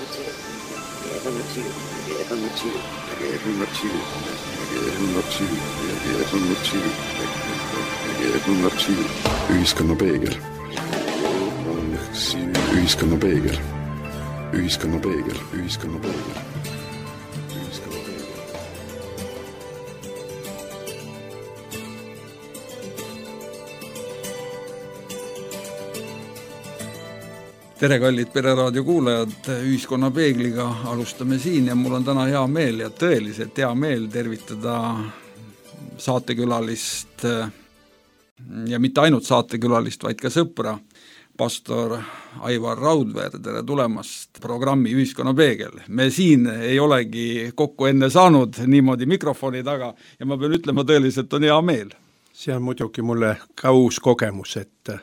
Ühiskonna peegel. Ühiskonna peegel. Ühiskonna peegel. Ühiskonna peegel. Tere, kallid Pereraadio kuulajad, Ühiskonna peegliga alustame siin ja mul on täna hea meel ja tõeliselt hea meel tervitada saatekülalist ja mitte ainult saatekülalist, vaid ka sõpra, pastor Aivar Raudveer. Tere tulemast programmi Ühiskonna peegel. Me siin ei olegi kokku enne saanud niimoodi mikrofoni taga ja ma pean ütlema, tõeliselt on hea meel. See on muidugi mulle ka uus kogemus, et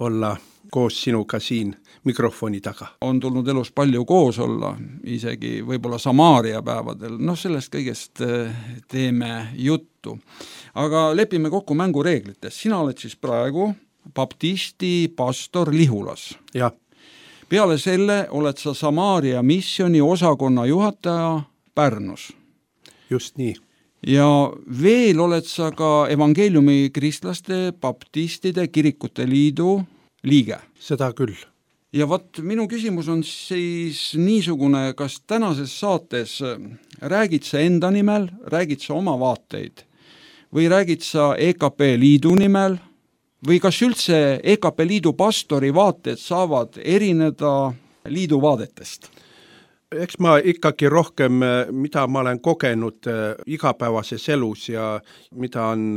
olla koos sinuga siin mikrofoni taga. On tulnud elus palju koos olla, isegi võib-olla Samaaria päevadel. Sellest kõigest teeme juttu. Aga lepime kokku mängureeglites. Sina oled siis praegu baptisti pastor Lihulas. Ja. Peale selle oled sa Samaaria missiooni osakonna juhataja Pärnus. Just nii. Ja veel oled sa ka evangeeliumi kristlaste baptistide kirikute liidu liige. Seda küll. Ja minu küsimus on siis niisugune, kas tänases saates räägid sa enda nimel, räägid sa oma vaateid või räägid sa EKP liidu nimel või kas üldse EKP liidu pastori vaated saavad erineda liidu vaadetest? Eks ma ikkagi rohkem, mida ma olen kogenud igapäevases elus ja mida on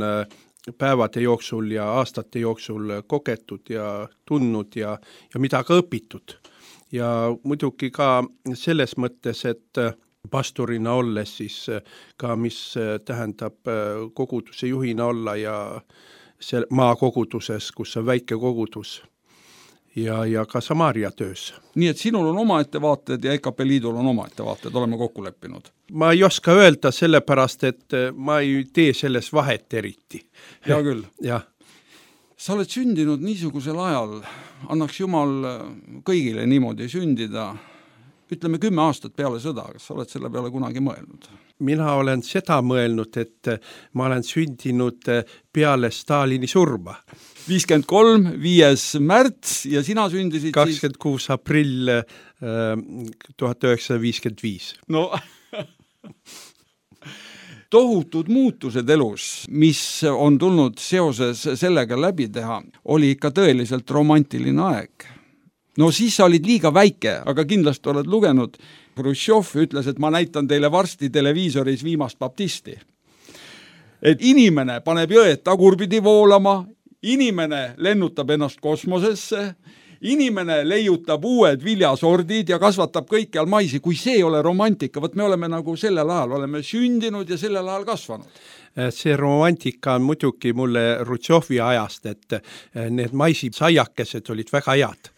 päevade jooksul ja aastate jooksul kogetud ja tundnud ja mida ka õpitud. Ja muidugi ka selles mõttes, et pastorina olles siis ka mis tähendab koguduse juhina olla ja maakoguduses, kus on väike kogudus ja ka Samaaria töös. Nii et sinul on oma ettevaated ja EKP liidul on oma ettevaated, oleme kokku leppinud. Ma ei oska öelda sellepärast, et ma ei tee selles vahet eriti. Hea küll. Ja. Sa oled sündinud niisugusel ajal, annaks Jumal kõigile niimoodi sündida, ütleme 10 aastat peale sõda, kas sa oled selle peale kunagi mõelnud? Mina olen seda mõelnud, et ma olen sündinud peale Stalini surma. 53, 5. märts ja sina sündisid 26 aprill 1955. No tohutud muutused elus, mis on tulnud seoses sellega läbi teha, oli ikka tõeliselt romantiline aeg. Siis sa olid liiga väike, aga kindlasti oled lugenud. Hruštšov ütles, et ma näitan teile varsti televiisoris viimast baptisti. Et inimene paneb jõed tagurpidi voolama, inimene lennutab ennast kosmosesse, inimene leiutab uued viljasordid ja kasvatab kõikjal maisi. Kui see ei ole romantika, me oleme nagu sellel ajal, oleme sündinud ja sellel ajal kasvanud. See romantika on muidugi mulle Hruštšovi ajast, et need maisisaiakesed olid väga head.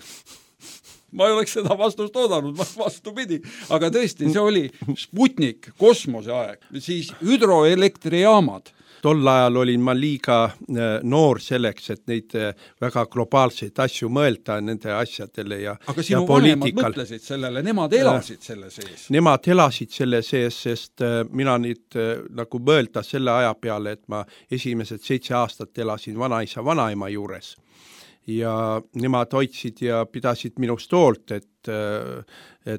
Ma ei oleks seda vastust oodanud, vastupidi. Aga tõesti, see oli Sputnik, kosmose aeg, siis hüdroelektrijaamad. Tol ajal olin ma liiga noor selleks, et neid väga globaalseid asju mõelda nende asjadele ja poliitikal. Aga sinu vanemad mõtlesid sellele, nemad elasid selle sees? Nemad elasid selle sees, sest mina nüüd nagu mõelda selle aja peale, et ma esimesed 7 aastat elasin vanaisa, vanaema juures. Ja nemad hoidsid ja pidasid minust hoolt, et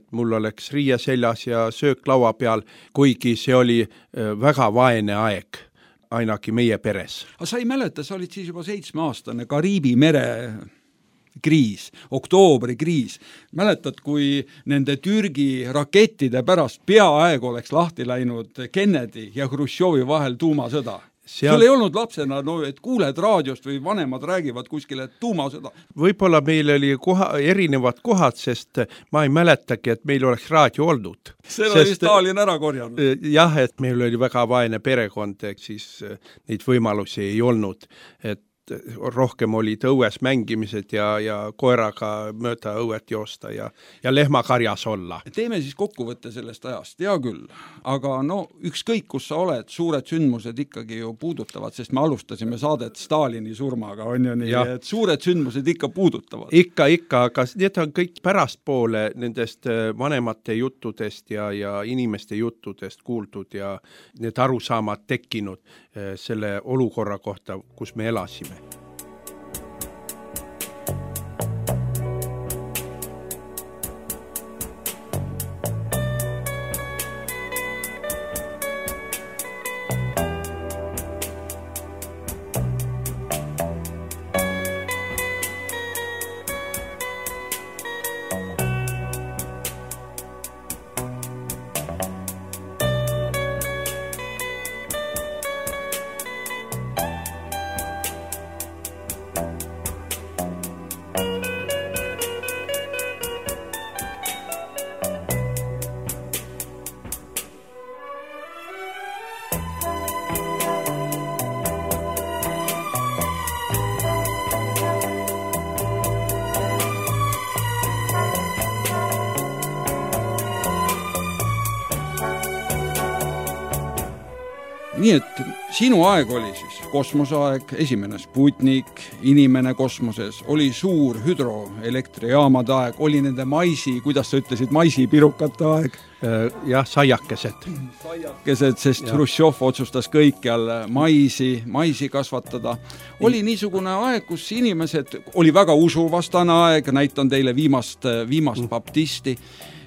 mul oleks riie seljas ja söök laua peal, kuigi see oli väga vaene aeg, ainagi meie peres. Aga sa ei mäleta, sa olid siis juba 7-aastane Kariibi mere kriis, oktoobri kriis. Mäletad, kui nende Türgi rakettide pärast peaaegu oleks lahti läinud Kennedy ja Hruštšovi vahel tuumasõda? Sul ei olnud lapsena, et kuuled raadiost või vanemad räägivad kuskile tuumasõda. Võib-olla meil oli erinevad kohad, sest ma ei mäletagi, et meil oleks raadio olnud. See oli Stalin ära korjanud. Jah, et meil oli väga vaene perekond, siis neid võimalusi ei olnud. Et rohkem olid õues mängimised ja koeraga mööda õuet joosta ja lehmakarjas olla. Teeme siis kokkuvõtte sellest ajast, hea küll, aga no ükskõik, kus sa oled, suured sündmused ikkagi ju puudutavad, sest me alustasime saadet Stalini surmaga, on ju nii, et suured sündmused ikka puudutavad. Ikka, aga need on kõik pärastpoole nendest vanemate juttudest ja inimeste juttudest kuuldud ja need arusaamad tekkinud selle olukorra kohta, kus me elasime. Nii et sinu aeg oli siis kosmoseaeg, esimene Sputnik, inimene kosmoses, oli suur hüdroelektrijaamade aeg, oli nende maisi, kuidas sa ütlesid, maisipirukate aeg? Jah, saiakesed. Saiakesed, sest Hruštšov otsustas kõikjal maisi kasvatada. Oli niisugune aeg, kus inimesed, oli väga usuvastane aeg, näitan teile viimast baptisti.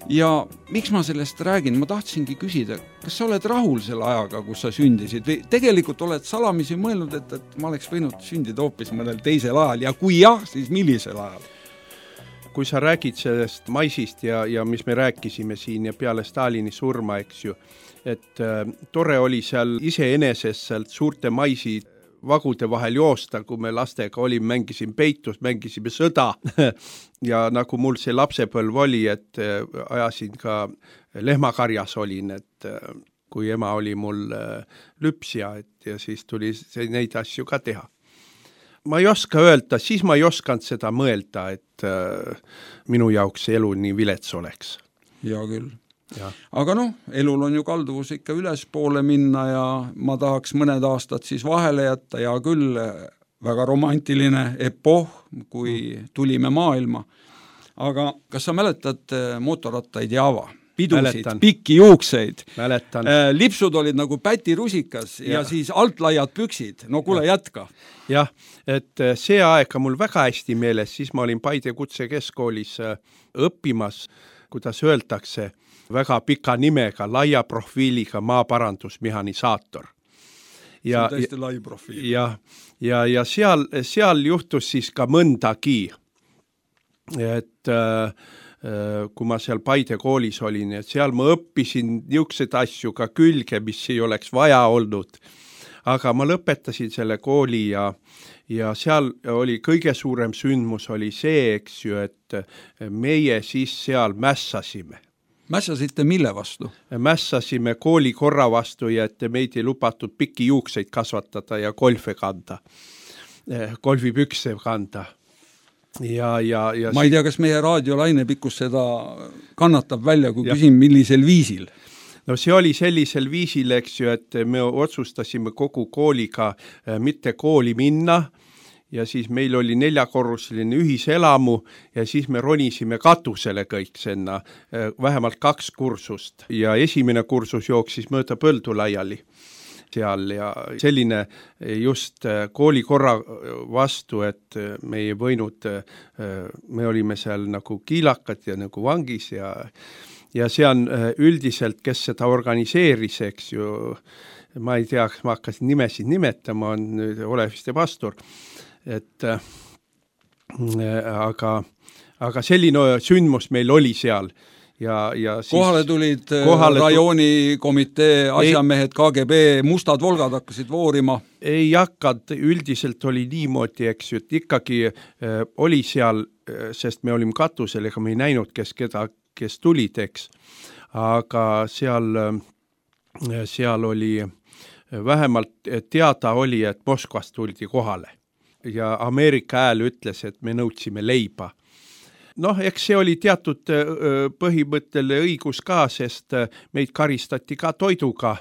Ja miks ma sellest räägin? Ma tahtsingi küsida, kas sa oled rahul selle ajaga, kus sa sündisid? Või tegelikult oled salamisi mõelnud, et ma oleks võinud sündida hoopis mõnel teisel ajal ja kui jah, siis millisel ajal? Kui sa räägid sellest maisist ja mis me rääkisime siin ja peale Stalini surma, eks ju, et tore oli seal iseenesest sealt suurte maisi vagude vahel joosta, kui me lastega olime, mängisime peitus, mängisime sõda ja nagu mul see lapsepõlv oli, et ajasin ka lehmakarjas olin, et kui ema oli mul lüpsja, ja siis tuli neid asju ka teha. Ma ei oska öelda, siis ma ei osanud seda mõelda, et minu jaoks elu nii vilets oleks. Ja küll. Ja. Aga elul on ju kalduvus ikka ülespoole minna ja ma tahaks mõned aastad siis vahele jätta ja küll väga romantiline epoh, kui tulime maailma. Aga kas sa mäletad mootorrattaid Java? Pidusid, pikki juukseid. Lipsud olid nagu pätirusikas ja siis altlaiad püksid. No kuule, jätka. Jah, et see aega mul väga hästi meeles, siis ma olin Paide kutsekeskkoolis õppimas, kuidas öeldakse, väga pika nimega, laia profiiliga maaparandusmehanisaator. See on tõesti lai profiil. Ja seal juhtus siis ka mõndagi, et kui ma seal Paide koolis olin, et seal ma õppisin niisugused asju ka külge, mis ei oleks vaja olnud. Aga ma lõpetasin selle kooli ja seal oli kõige suurem sündmus oli see, eks ju, et meie siis seal mässasime. Mässasite mille vastu? Mässasime kooli korra vastu ja et meid ei lubatud pikki juukseid kasvatada ja golfipükse kanda. Ma ei tea, kas meie raadiolaine pikkus seda kannatab välja, kui küsin, millisel viisil? No see oli sellisel viisil, eks ju, et me otsustasime kogu kooliga mitte kooli minna ja siis meil oli 4-korruseline ühiselamu ja siis me ronisime katusele kõik senna, vähemalt 2 kursust ja esimene kursus jooksis mööda põldu laiali seal ja selline just kooli korra vastu, et me ei võinud, me olime seal nagu kiilakad ja nagu vangis ja see on üldiselt, kes seda organiseeris, eks ju, ma ei tea, ma hakkasin nimesid nimetama, on nüüd Oleviste pastor, et aga selline sündmus meil oli seal. Ja siis kohale tulid rajoonikomitee asjamehed, KGB, mustad volgad hakkasid voorima? Ei hakkad, üldiselt oli niimoodi, eks ju, et ikkagi oli seal, sest me olime katusel, ega me ei näinud, kes tulid, eks. Aga seal oli, vähemalt teada oli, et Moskvast tuldi kohale. ja Ameerika hääl ütles, et me nõudsime leiba. Noh, eks see oli teatud põhimõttele õigus ka, sest meid karistati ka toiduga,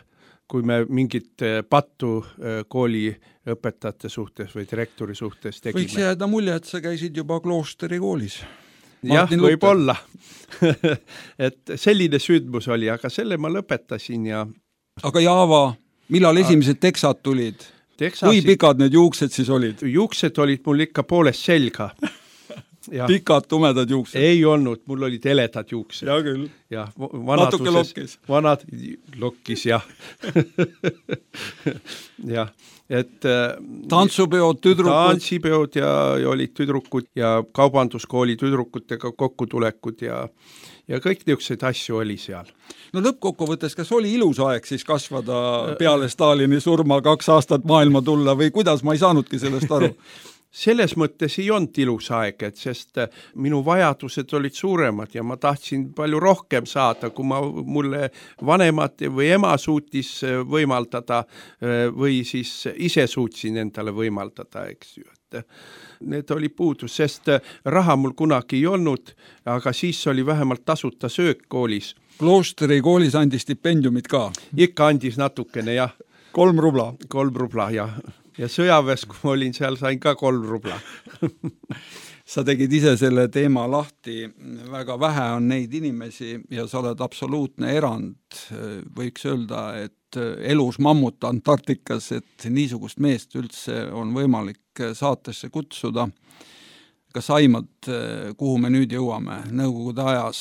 kui me mingit pattu kooli õpetajate suhtes või direktori suhtes tegime. Võiks jääda mulje, et sa käisid juba kloosteri koolis. Jah, võib olla. Et selline sündmus oli, aga selle ma lõpetasin ja... Aga Jaava, millal esimesed teksad tulid? Kui pikad need juuksed siis olid? Juuksed olid mul ikka poolest selga. Ja. Pikad, tumedad juuksed? Ei olnud, mul olid heledad juuksed. Ja küll. Ja, natuke lokkis. Lokkis, jah. Jah, et... Tantsupeod, tüdrukud? Tantsipeod ja olid tüdrukud ja kaubanduskooli tüdrukutega kokkutulekud ja kõik niisuguseid asju oli seal. No lõppkokkuvõttes, kas oli ilus aeg siis kasvada peale Stalini surma 2 aastat maailma tulla või kuidas, ma ei saanudki sellest aru? Selles mõttes ei olnud ilus aeg, et sest minu vajadused olid suuremad ja ma tahtsin palju rohkem saada, kui mulle vanemad või ema suutis võimaldada või siis ise suutsin endale võimaldada, eks ju. Need oli puudus, sest raha mul kunagi ei olnud, aga siis oli vähemalt tasuta söök koolis. Kloosteri koolis andis stipendiumid ka? Ikka andis natukene, jah. 3 rubla? 3 rubla, jah. Ja sõjaväes, kui ma olin seal, sain ka 3 rubla. Sa tegid ise selle teema lahti, väga vähe on neid inimesi ja sa oled absoluutne erand, võiks öelda, et elus mammut Antarktikas, et niisugust meest üldse on võimalik saatesse kutsuda. Kas aimad, kuhu me nüüd jõuame Nõukogude ajas?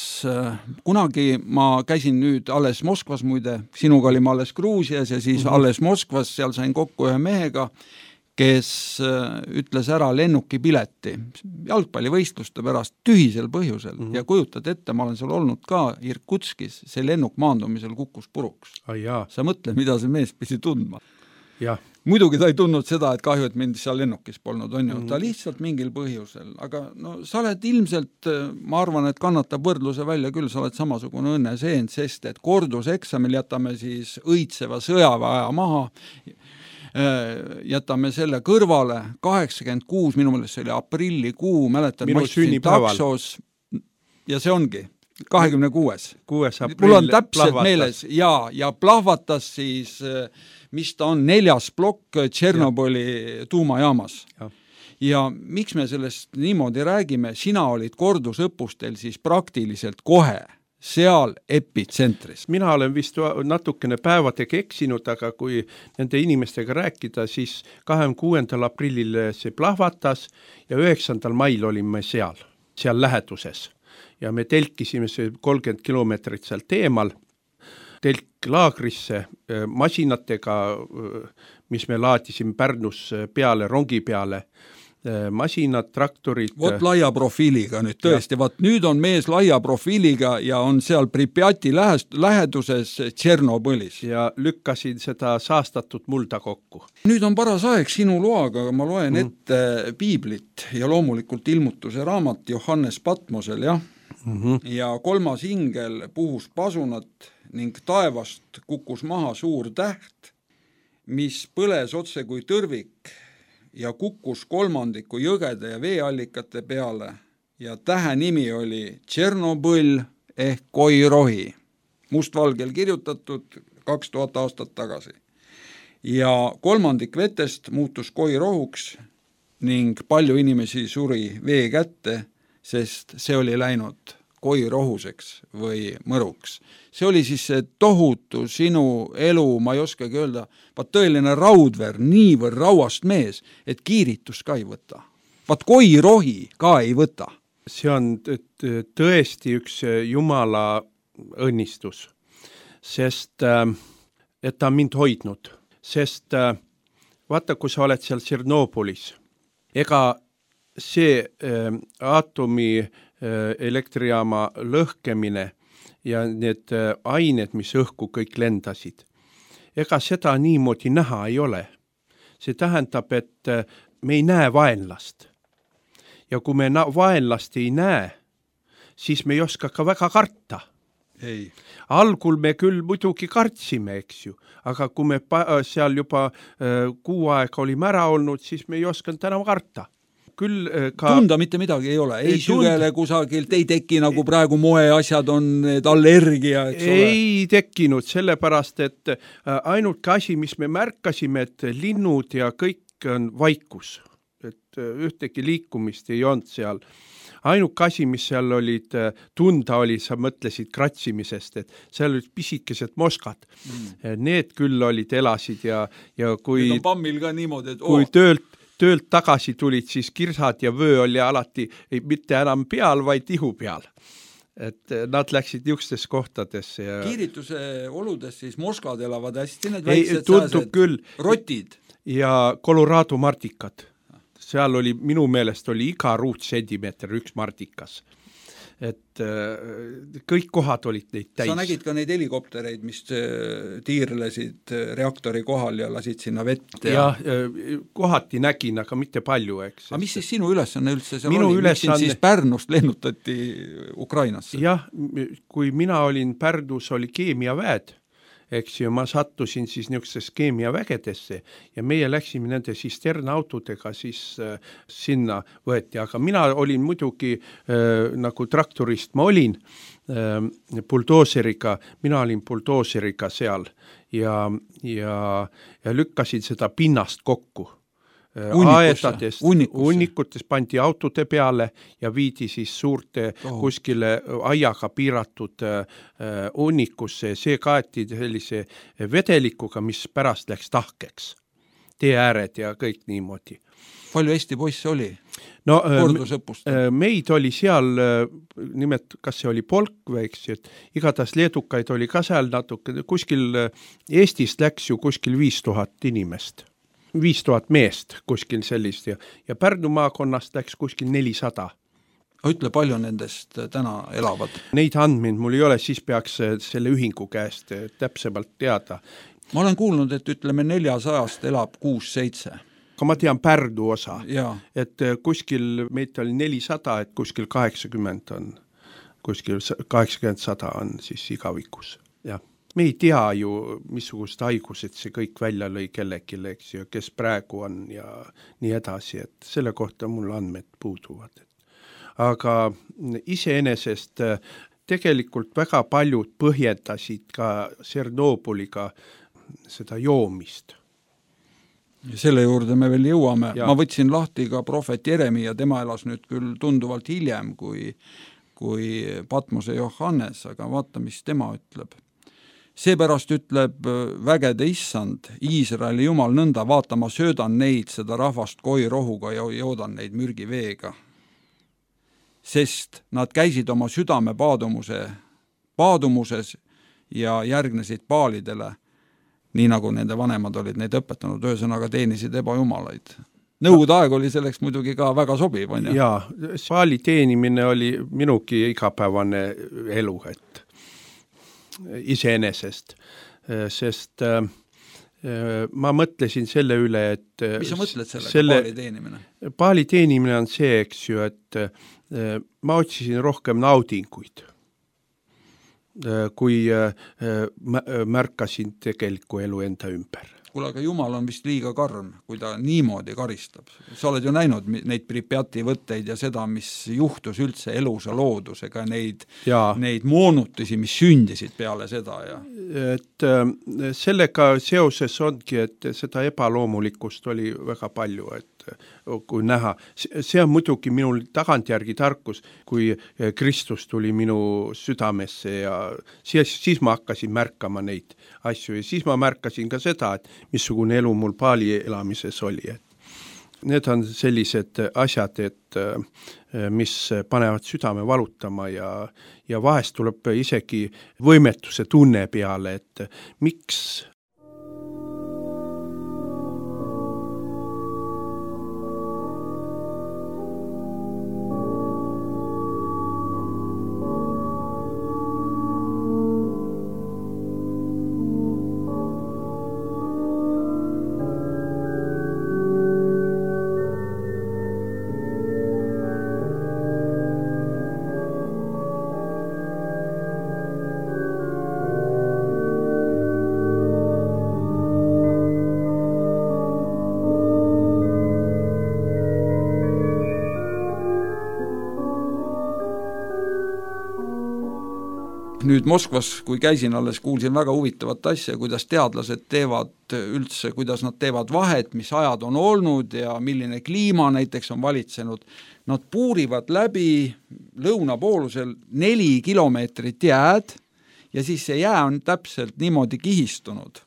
Kunagi ma käisin nüüd alles Moskvas muide, sinuga olime alles Gruusias ja siis alles Moskvas, seal sain kokku ühe mehega, kes ütles ära lennukipileti jalgpallivõistluste pärast tühisel põhjusel ja kujutad ette, ma olen seal olnud ka Irkutskis, see lennuk maandumisel kukkus puruks. Sa mõtle, mida see mees pidi tundma. Jah. Muidugi ta ei tundnud seda, et kahju, et mind seal lennukis polnud, on ju. Ta lihtsalt mingil põhjusel. Aga no, sa oled ilmselt, ma arvan, et kannatab võrdluse välja küll, sa oled samasugune õnneseen, sest et korduseksamil jätame siis õitseva sõjaväe maha, jätame selle kõrvale, 86, minu meelest see oli aprillikuu, mäletan, ma istusin taksos ja see ongi 26. Mul on täpselt meeles ja plahvatas siis, mis ta on, 4. plokk Tšernobõli tuumajaamas. Ja miks me sellest niimoodi räägime, sina olid kordusõppustel siis praktiliselt kohe seal epitsentris. Mina olen vist natukene päevadega eksinud, aga kui nende inimestega rääkida, siis 26. aprillil see plahvatas ja 9. mail olime seal läheduses. Ja me telkisime see 30 kilomeetrit sealt eemal, telklaagrisse masinatega, mis me laadisime Pärnus peale, rongi peale, masinad, traktorid. Vot laia profiiliga nüüd tõesti, vaat nüüd on mees laia profiiliga ja on seal Pripjati läheduses Tšernobõlis. Ja lükkasin seda saastatud mulda kokku. Nüüd on paras aeg sinu loaga, ma loen ette piiblit ja loomulikult ilmutuse raamat Johannes Patmosel, jah? Ja 3. ingel puhus pasunat ning taevast kukkus maha suur täht, mis põles otse kui tõrvik ja kukkus 3. jõgede ja veeallikate peale ja tähe nimi oli Tšernobõl ehk Koirohi, mustvalgel kirjutatud 2000 aastat tagasi. Ja 3. vetest muutus Koirohuks ning palju inimesi suri vee kätte, sest see oli läinud koirohuseks või mõruks. See oli siis see tohutu sinu elu, ma ei oskagi öelda, vaat tõeline raudver, niivõrd rauast mees, et kiiritus ka ei võta. Vaat koirohi ka ei võta. See on tõesti üks Jumala õnnistus, sest et ta on mind hoidnud. Sest vaata, kui sa oled seal Tšernobõlis, ega see aatomi elektrijaama lõhkemine ja need ained, mis õhku kõik lendasid, ega seda niimoodi näha ei ole. See tähendab, et me ei näe vaenlast. Ja kui me vaenlast ei näe, siis me ei oska ka väga karta. ei. Algul me küll muidugi kartsime, eks ju, aga kui me seal juba kuu aega olime ära olnud, siis me ei osanud enam karta. Küll ka tunda mitte midagi ei ole, ei sügele kusagilt, ei teki nagu praegu moeasjad on, need allergia, eks ole. Ei tekkinud, sellepärast, et ainult asi, mis me märkasime, et linnud ja kõik on vaikus, et ühtegi liikumist ei olnud seal. Ainuke asi, mis seal olid tunda oli, sa mõtlesid kratsimisest, et seal olid pisikesed moskad. Need küll olid elasid ja kui, need on pammil ka niimoodi, et kui töölt tagasi tulid, siis kirsad ja vöö oli alati mitte enam peal, vaid ihu peal. Et nad läksid niisugustes kohtadesse. Ja kiirituse oludes siis moskad elavad hästi, need väiksed sääsed, küll. Rotid. Ja Colorado martikad. Seal oli, minu meelest oli iga ruutsentimeeter üks martikas. Et kõik kohad olid neid täis. Sa nägid ka neid helikoptereid, mis tiirlesid reaktori kohal ja lasid sinna vett. Ja kohati nägin, aga mitte palju, eks. Aga mis siis sinu ülesanne üldse seal minu oli? Miks sind siis Pärnust lennutati Ukrainasse? Jah, kui mina olin Pärnus, oli keemiaväed, eks ju, ma sattusin siis niisugustes keemiavägedesse ja meie läksime nende sisternautodega siis sinna võeti, aga mina olin muidugi nagu traktorist, ma olin buldooseriga, mina olin buldooseriga seal ja lükkasin seda pinnast kokku. Hunnikutes pandi autode peale ja viidi siis suurte kuskile aiaga piiratud hunnikusse. See kaeti sellise vedelikuga, mis pärast läks tahkeks. Tee ääred ja kõik niimoodi. Palju Eesti poisse oli? No, meid oli seal, nimelt, kas see oli polk või, eks, et igatahes leedukaid oli ka seal natuke, kuskil Eestist läks ju kuskil 5000 inimest. 5000 meest kuskil sellist ja Pärnu maakonnast läks kuskil 400. Ütle, palju nendest täna elavad? Neid andmeid mul ei ole, siis peaks selle ühingu käest täpsemalt teada. Ma olen kuulnud, et ütleme 400-st elab 6-7. Aga ma tean Pärnu osa, ja. Et kuskil meid oli 400, et kuskil 80 on, kuskil 80-100 on siis igavikus, jah. Me ei tea ju, missugust haigused see kõik välja lõi kellelgi, eks ju, kes praegu on ja nii edasi, et selle kohta mul andmed puuduvad. Aga iseenesest tegelikult väga paljud põhjendasid ka Tšernobõliga seda joomist. Selle juurde me veel jõuame. Ja. Ma võtsin lahti ka prohvet Jeremi ja tema elas nüüd küll tunduvalt hiljem kui Patmose Johannes, aga vaata, mis tema ütleb. Seepärast ütleb vägede issand, Iisraeli jumal nõnda, vaata, ma söödan neid seda rahvast koirohuga ja joodan neid mürgiveega. Sest nad käisid oma südame paadumuses ja järgnesid paalidele, nii nagu nende vanemad olid neid õpetanud, ühesõnaga teenisid ebajumalaid. Nõukogude aeg oli selleks muidugi ka väga sobiv, on ju? Jaa, paali teenimine oli minugi igapäevane elu, et iseenesest, sest ma mõtlesin selle üle, et mis sa mõtled sellega, paali teenimine? Paali teenimine on see, eks ju, et ma otsisin rohkem naudinguid, kui märkasin tegelikku elu enda ümber. Kuule, aga Jumal on vist liiga karm, kui ta niimoodi karistab. Sa oled ju näinud neid Pripjati võtteid ja seda, mis juhtus üldse elusa loodusega, neid moonutusi, mis sündisid peale seda. Ja. Et sellega seoses ongi, et seda ebaloomulikkust oli väga palju, et kui näha. See on muidugi minul tagantjärgi tarkus, kui Kristus tuli minu südamesse ja siis ma hakkasin märkama neid asju ja siis ma märkasin ka seda, et missugune elu mul paali elamises oli. Need on sellised asjad, et mis panevad südame valutama ja vahest tuleb isegi võimetuse tunne peale, et miks nüüd Moskvas, kui käisin alles, kuulsin väga huvitavat asja, kuidas teadlased teevad üldse, kuidas nad teevad vahet, mis ajad on olnud ja milline kliima näiteks on valitsenud. Nad puurivad läbi lõunapoolusel 4 kilomeetrit jääd ja siis see jää on täpselt niimoodi kihistunud.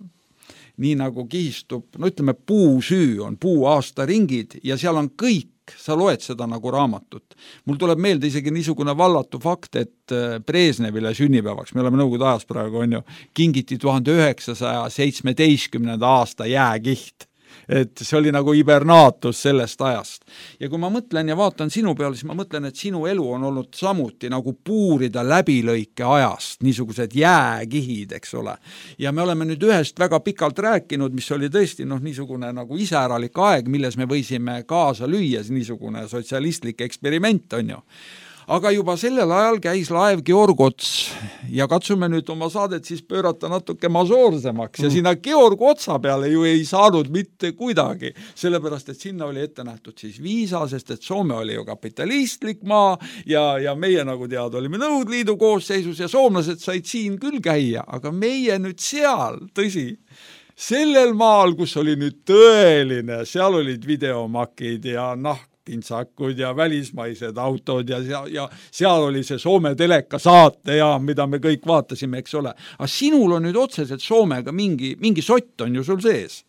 Nii nagu kihistub, no ütleme, puusüü on puuaastaringid ja seal on kõik, sa loed seda nagu raamatut. Mul tuleb meelde isegi niisugune vallatu fakt, et Brežnevile sünnipäevaks, me oleme Nõukogude ajas praegu, on ju, kingiti 1917. aasta jääkiht. Et see oli nagu hibernaatus sellest ajast. Ja kui ma mõtlen ja vaatan sinu peale, siis ma mõtlen, et sinu elu on olnud samuti nagu puurida läbilõike ajast, niisugused jääkihid, eks ole. Ja me oleme nüüd ühest väga pikalt rääkinud, mis oli tõesti niisugune nagu iseäralik aeg, milles me võisime kaasa lüüa, niisugune sotsialistlik eksperiment, on ju. Aga juba sellel ajal käis laev Georg Ots ja katsume nüüd oma saadet siis pöörata natuke masoorsemaks ja sinna Georg Otsa peale ju ei saanud mitte kuidagi, sellepärast et sinna oli ette nähtud siis viisa, sest et Soome oli ju kapitalistlik maa ja meie nagu teada olime Nõukogude Liidu koosseisus ja soomlased said siin küll käia, aga meie nüüd seal, tõsi, sellel maal, kus oli nüüd tõeline, seal olid videomakid ja pintsakud ja välismaised autod ja seal oli see Soome teleka saate ja mida me kõik vaatasime, eks ole. Aga sinul on nüüd otseselt Soomega mingi sott on ju sul sees.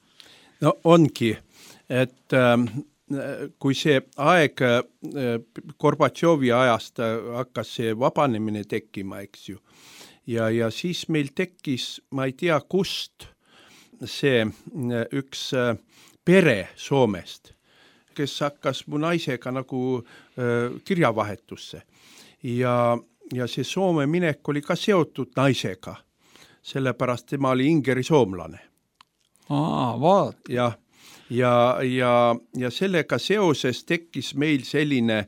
No ongi, et kui see aeg Gorbatšovi ajast hakkas see vabanemine tekkima, eks ju, ja siis meil tekkis, ma ei tea kust, see üks pere Soomest, kes hakkas mu naisega nagu kirjavahetusse. Ja see Soome minek oli ka seotud naisega, sellepärast tema oli ingeri soomlane. Vaat. Ja sellega seoses tekkis meil selline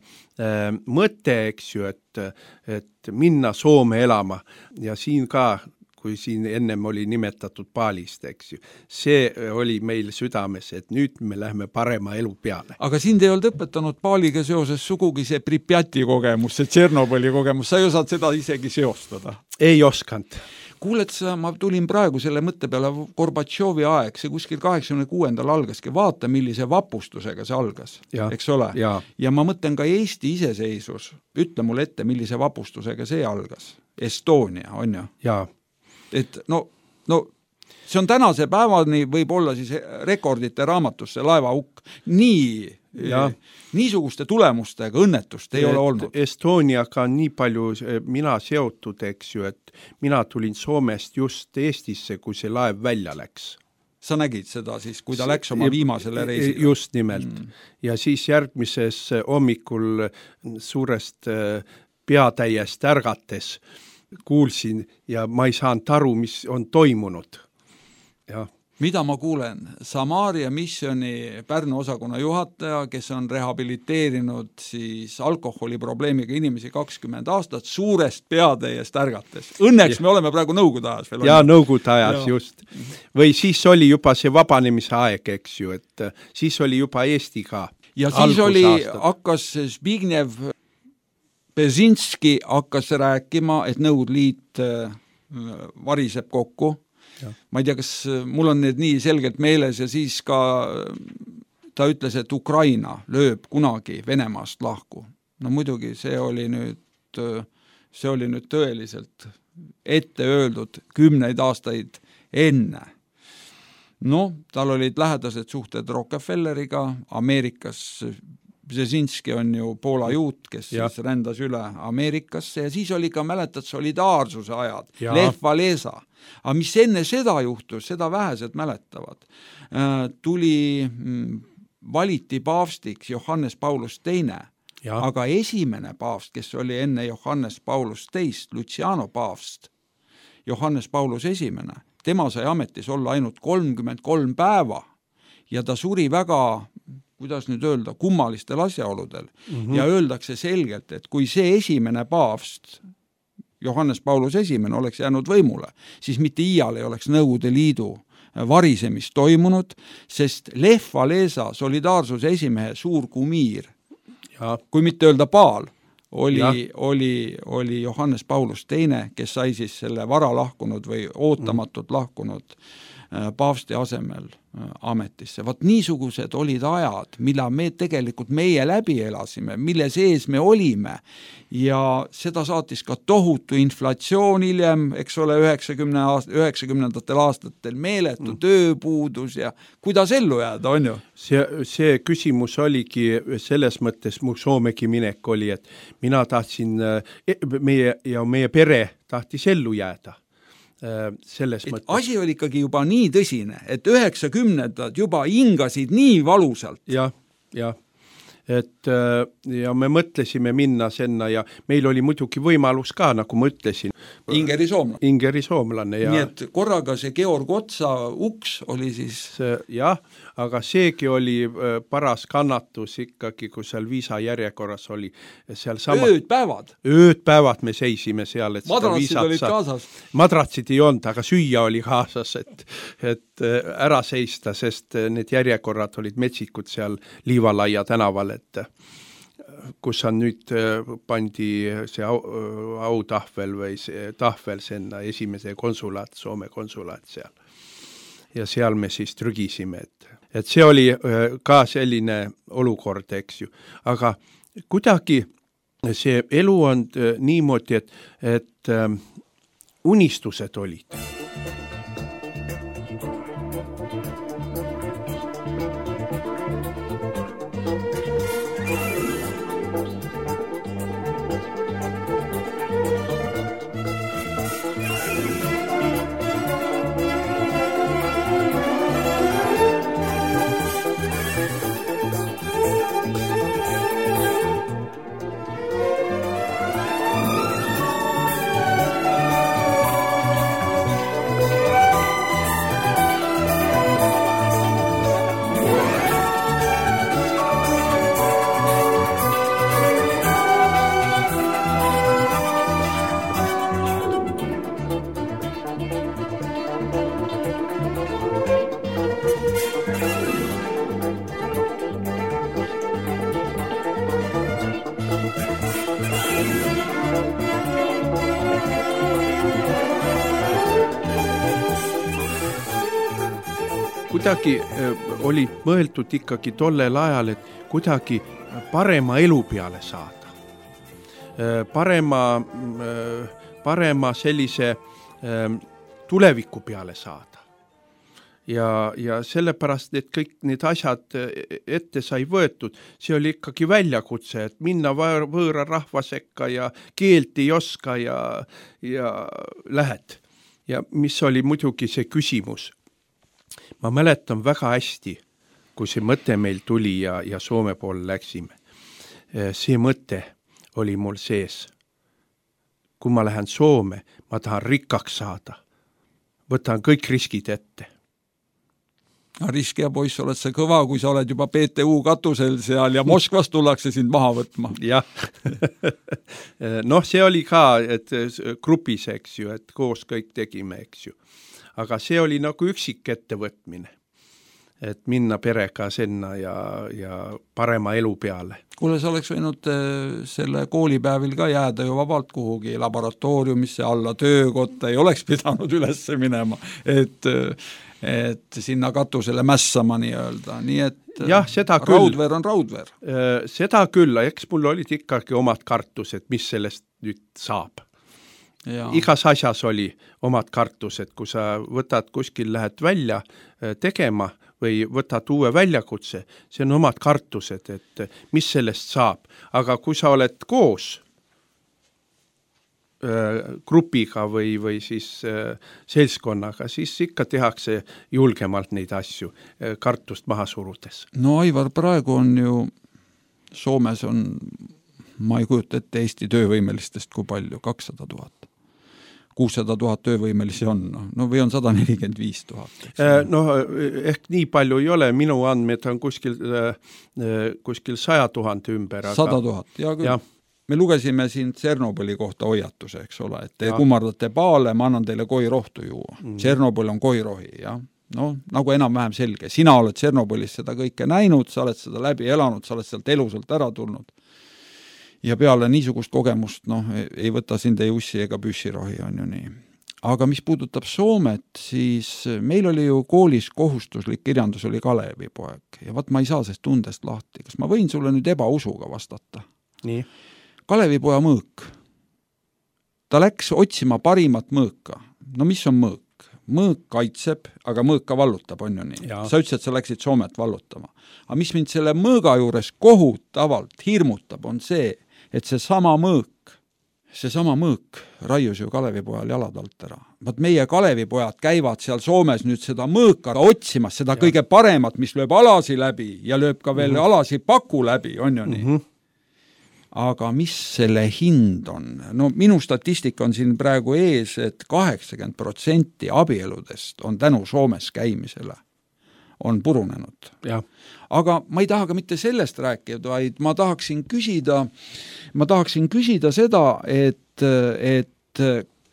mõte, eks ju, et minna Soome elama ja siin ka, kui siin ennem oli nimetatud Paalist, eks ju. See oli meil südames, et nüüd me läheme parema elu peale. Aga sind ei olnud õpetanud Paaliga seoses sugugi see Pripjati kogemus, see Tšernobõli kogemus, sa ei osad seda isegi seostada? Ei oskanud. Kuuled sa, ma tulin praegu selle mõtte peale Gorbatšovi aeg, see kuskil 86. algaski, vaata millise vapustusega see algas, eks ole? Ja ma mõtlen ka Eesti iseseisvus, ütle mulle ette, millise vapustusega see algas. Estonia, on ju? Jaa. Et see on tänase päevani võib olla siis rekordite raamatusse laevaukk. Niisuguste tulemustega õnnetust ei ole olnud. Estoniaga on nii palju mina seotud, eks ju, et mina tulin Soomest just Eestisse, kui see laev välja läks. Sa nägid seda siis, kui ta läks oma viimasele reisile? Just nimelt. Ja siis järgmises hommikul suurest peatäiest ärgates kuulsin ja ma ei saanud aru, mis on toimunud. Ja. Mida ma kuulen? Samaria missioni Pärnu osakonna juhataja, kes on rehabiliteerinud siis alkoholiprobleemiga inimesi 20 aastat, suurest peatäiest ärgates. Õnneks me oleme praegu Nõukogude ajas veel. Ja Nõukogude ajas, just. Või siis oli juba see vabanemise aeg, eks ju, et siis oli juba Eesti ka. Ja siis hakkas Zbigniew Bezinski hakkas rääkima, et Nõukogude Liit variseb kokku. Ma ei tea, kas mul on need nii selgelt meeles ja siis ka ta ütles, et Ukraina lööb kunagi Venemaast lahku. No muidugi see oli nüüd tõeliselt ette öeldud 10 aastaid enne. Tal olid lähedased suhted Rockefelleriga, Ameerikas Brzezinski on ju Poola juut, kes siis rändas üle Ameerikasse ja siis oli ka, mäletad, solidaarsuse ajad, Lech Walesa. Aga mis enne seda juhtus, seda vähesed mäletavad. Valiti paavstiks Johannes Paulus II, aga esimene paavst, kes oli enne Johannes Paulus II, Luciano paavst, Johannes Paulus I, tema sai ametis olla ainult 33 päeva ja ta suri väga, kuidas nüüd öelda, kummalistel asjaoludel. Ja öeldakse selgelt, et kui see esimene paavst, Johannes Paulus I, oleks jäänud võimule, siis mitte iial ei oleks Nõukogude Liidu varisemist toimunud, sest Lech Walesa solidaarsuse esimehe suur kumiir, kui mitte öelda paal, oli Johannes Paulus II, kes sai siis selle vara lahkunud või ootamatult lahkunud paavsti asemel ametisse. Vaat niisugused olid ajad, mille meie läbi elasime, mille sees me olime ja seda saatis ka tohutu inflatsioon hiljem, eks ole, 90ndatel aastatel meeletu tööpuudus ja kuidas ellu jääda, on ju? See küsimus oligi selles mõttes, mu Soomegi minek oli, et mina tahtsin, meie pere tahtis ellu jääda. Selles mõttes. Asi oli ikkagi juba nii tõsine, et 90ndad juba hingasid nii valusalt. Jah. Ja me mõtlesime minna sinna ja meil oli muidugi võimalus ka, nagu ma ütlesin. Ingeri soomlane. Ja... Nii et korraga see Georg Otsa uks oli siis... Jah, aga seegi oli paras kannatus ikkagi, kui seal viisa järjekorras oli. Seal Ööd-päevad me seisime seal. Et madratsid olid kaasas? Madratsid ei olnud, aga süüa oli kaasas, et ära seista, sest need järjekorrad olid metsikud seal Liivalaia tänaval, et kus on nüüd pandi see autahvel või see tahvel sinna esimese konsulaat, Soome konsulaat seal. Ja seal me siis trügisime, et see oli ka selline olukord, eks ju. Aga kuidagi see elu on niimoodi, et unistused olid. Kuidagi oli mõeldud ikkagi tollel ajal, et kuidagi parema elu peale saada. Parema sellise tuleviku peale saada. Ja sellepärast, et kõik need asjad ette sai võetud, see oli ikkagi väljakutse, et minna võõra rahva sekka ja keelt ei oska ja lähed. Ja mis oli muidugi see küsimus. Ma mäletan väga hästi, kui see mõte meil tuli ja Soome poole läksime. See mõte oli mul sees. Kui ma lähen Soome, ma tahan rikkaks saada. Võtan kõik riskid ette. Riskija poiss, oled sa kõva, kui sa oled juba PTU katusel seal ja Moskvas tullakse sind maha võtma. Jah. See oli ka, et grupis, eks ju, et koos kõik tegime, eks ju. Aga see oli nagu üksik ettevõtmine, et minna perega sinna ja parema elu peale. Kuule, sa oleks võinud selle koolipäevil ka jääda ju vabalt kuhugi laboratooriumisse alla töökotta, ei oleks pidanud üles minema, et sinna katusele mässama nii-öelda. Nii et jah, seda raudveer on raudveer. Seda küll, eks mul olid ikkagi omad kartused, mis sellest nüüd saab. Ja. Igas asjas oli omad kartused, kui sa võtad kuskil, lähed välja tegema või võtad uue väljakutse, see on omad kartused, et mis sellest saab. Aga kui sa oled koos grupiga või siis seltskonnaga, siis ikka tehakse julgemalt neid asju kartust maha surudes. No Aivar, praegu on ju, Soomes on, ma ei kujuta ette Eesti töövõimelistest kui palju, 200 000. 600 000 töövõimelisi on, või on 145 000. Ehk nii palju ei ole, minu andmed on kuskil 100 000 ümber. 100 000, ja küll. Ja. Me lugesime siin Tšernobõli kohta hoiatuse, eks ole, et te kummardate paale, ma annan teile koirohtu juua. Tšernobõl on koirohi, jah. Nagu enam-vähem selge. Sina oled Tšernobõlis seda kõike näinud, sa oled seda läbi elanud, sa oled sealt elusalt ära tulnud. ja peale niisugust kogemust, ei võta sind ei ussi ega püssirohi, on ju nii. Aga mis puudutab Soomet, siis meil oli ju koolis kohustuslik kirjandus oli Kalevipoeg ja ma ei saa sellest tundest lahti. Kas ma võin sulle nüüd ebausuga vastata? Nii. Kalevipoja mõõk. Ta läks otsima parimat mõõka. No mis on mõõk? Mõõk kaitseb, aga mõõk ka vallutab, on ju nii. Ja. Sa ütlesid, et sa läksid Soomet vallutama. Aga mis mind selle mõõga juures kohutavalt hirmutab, on see, et seesama mõõk raius ju Kalevipojal jalad alt ära. Vaat meie Kalevipojad käivad seal Soomes nüüd seda mõõka otsimas, seda kõige paremat, mis lööb alasi läbi ja lööb ka veel alasi paku läbi, on ju nii. Aga mis selle hind on? No minu statistika on siin praegu ees, et 80% abieludest on tänu Soomes käimisele on purunenud. Ja. Aga ma ei taha ka mitte sellest rääkida, vaid ma tahaksin küsida seda, et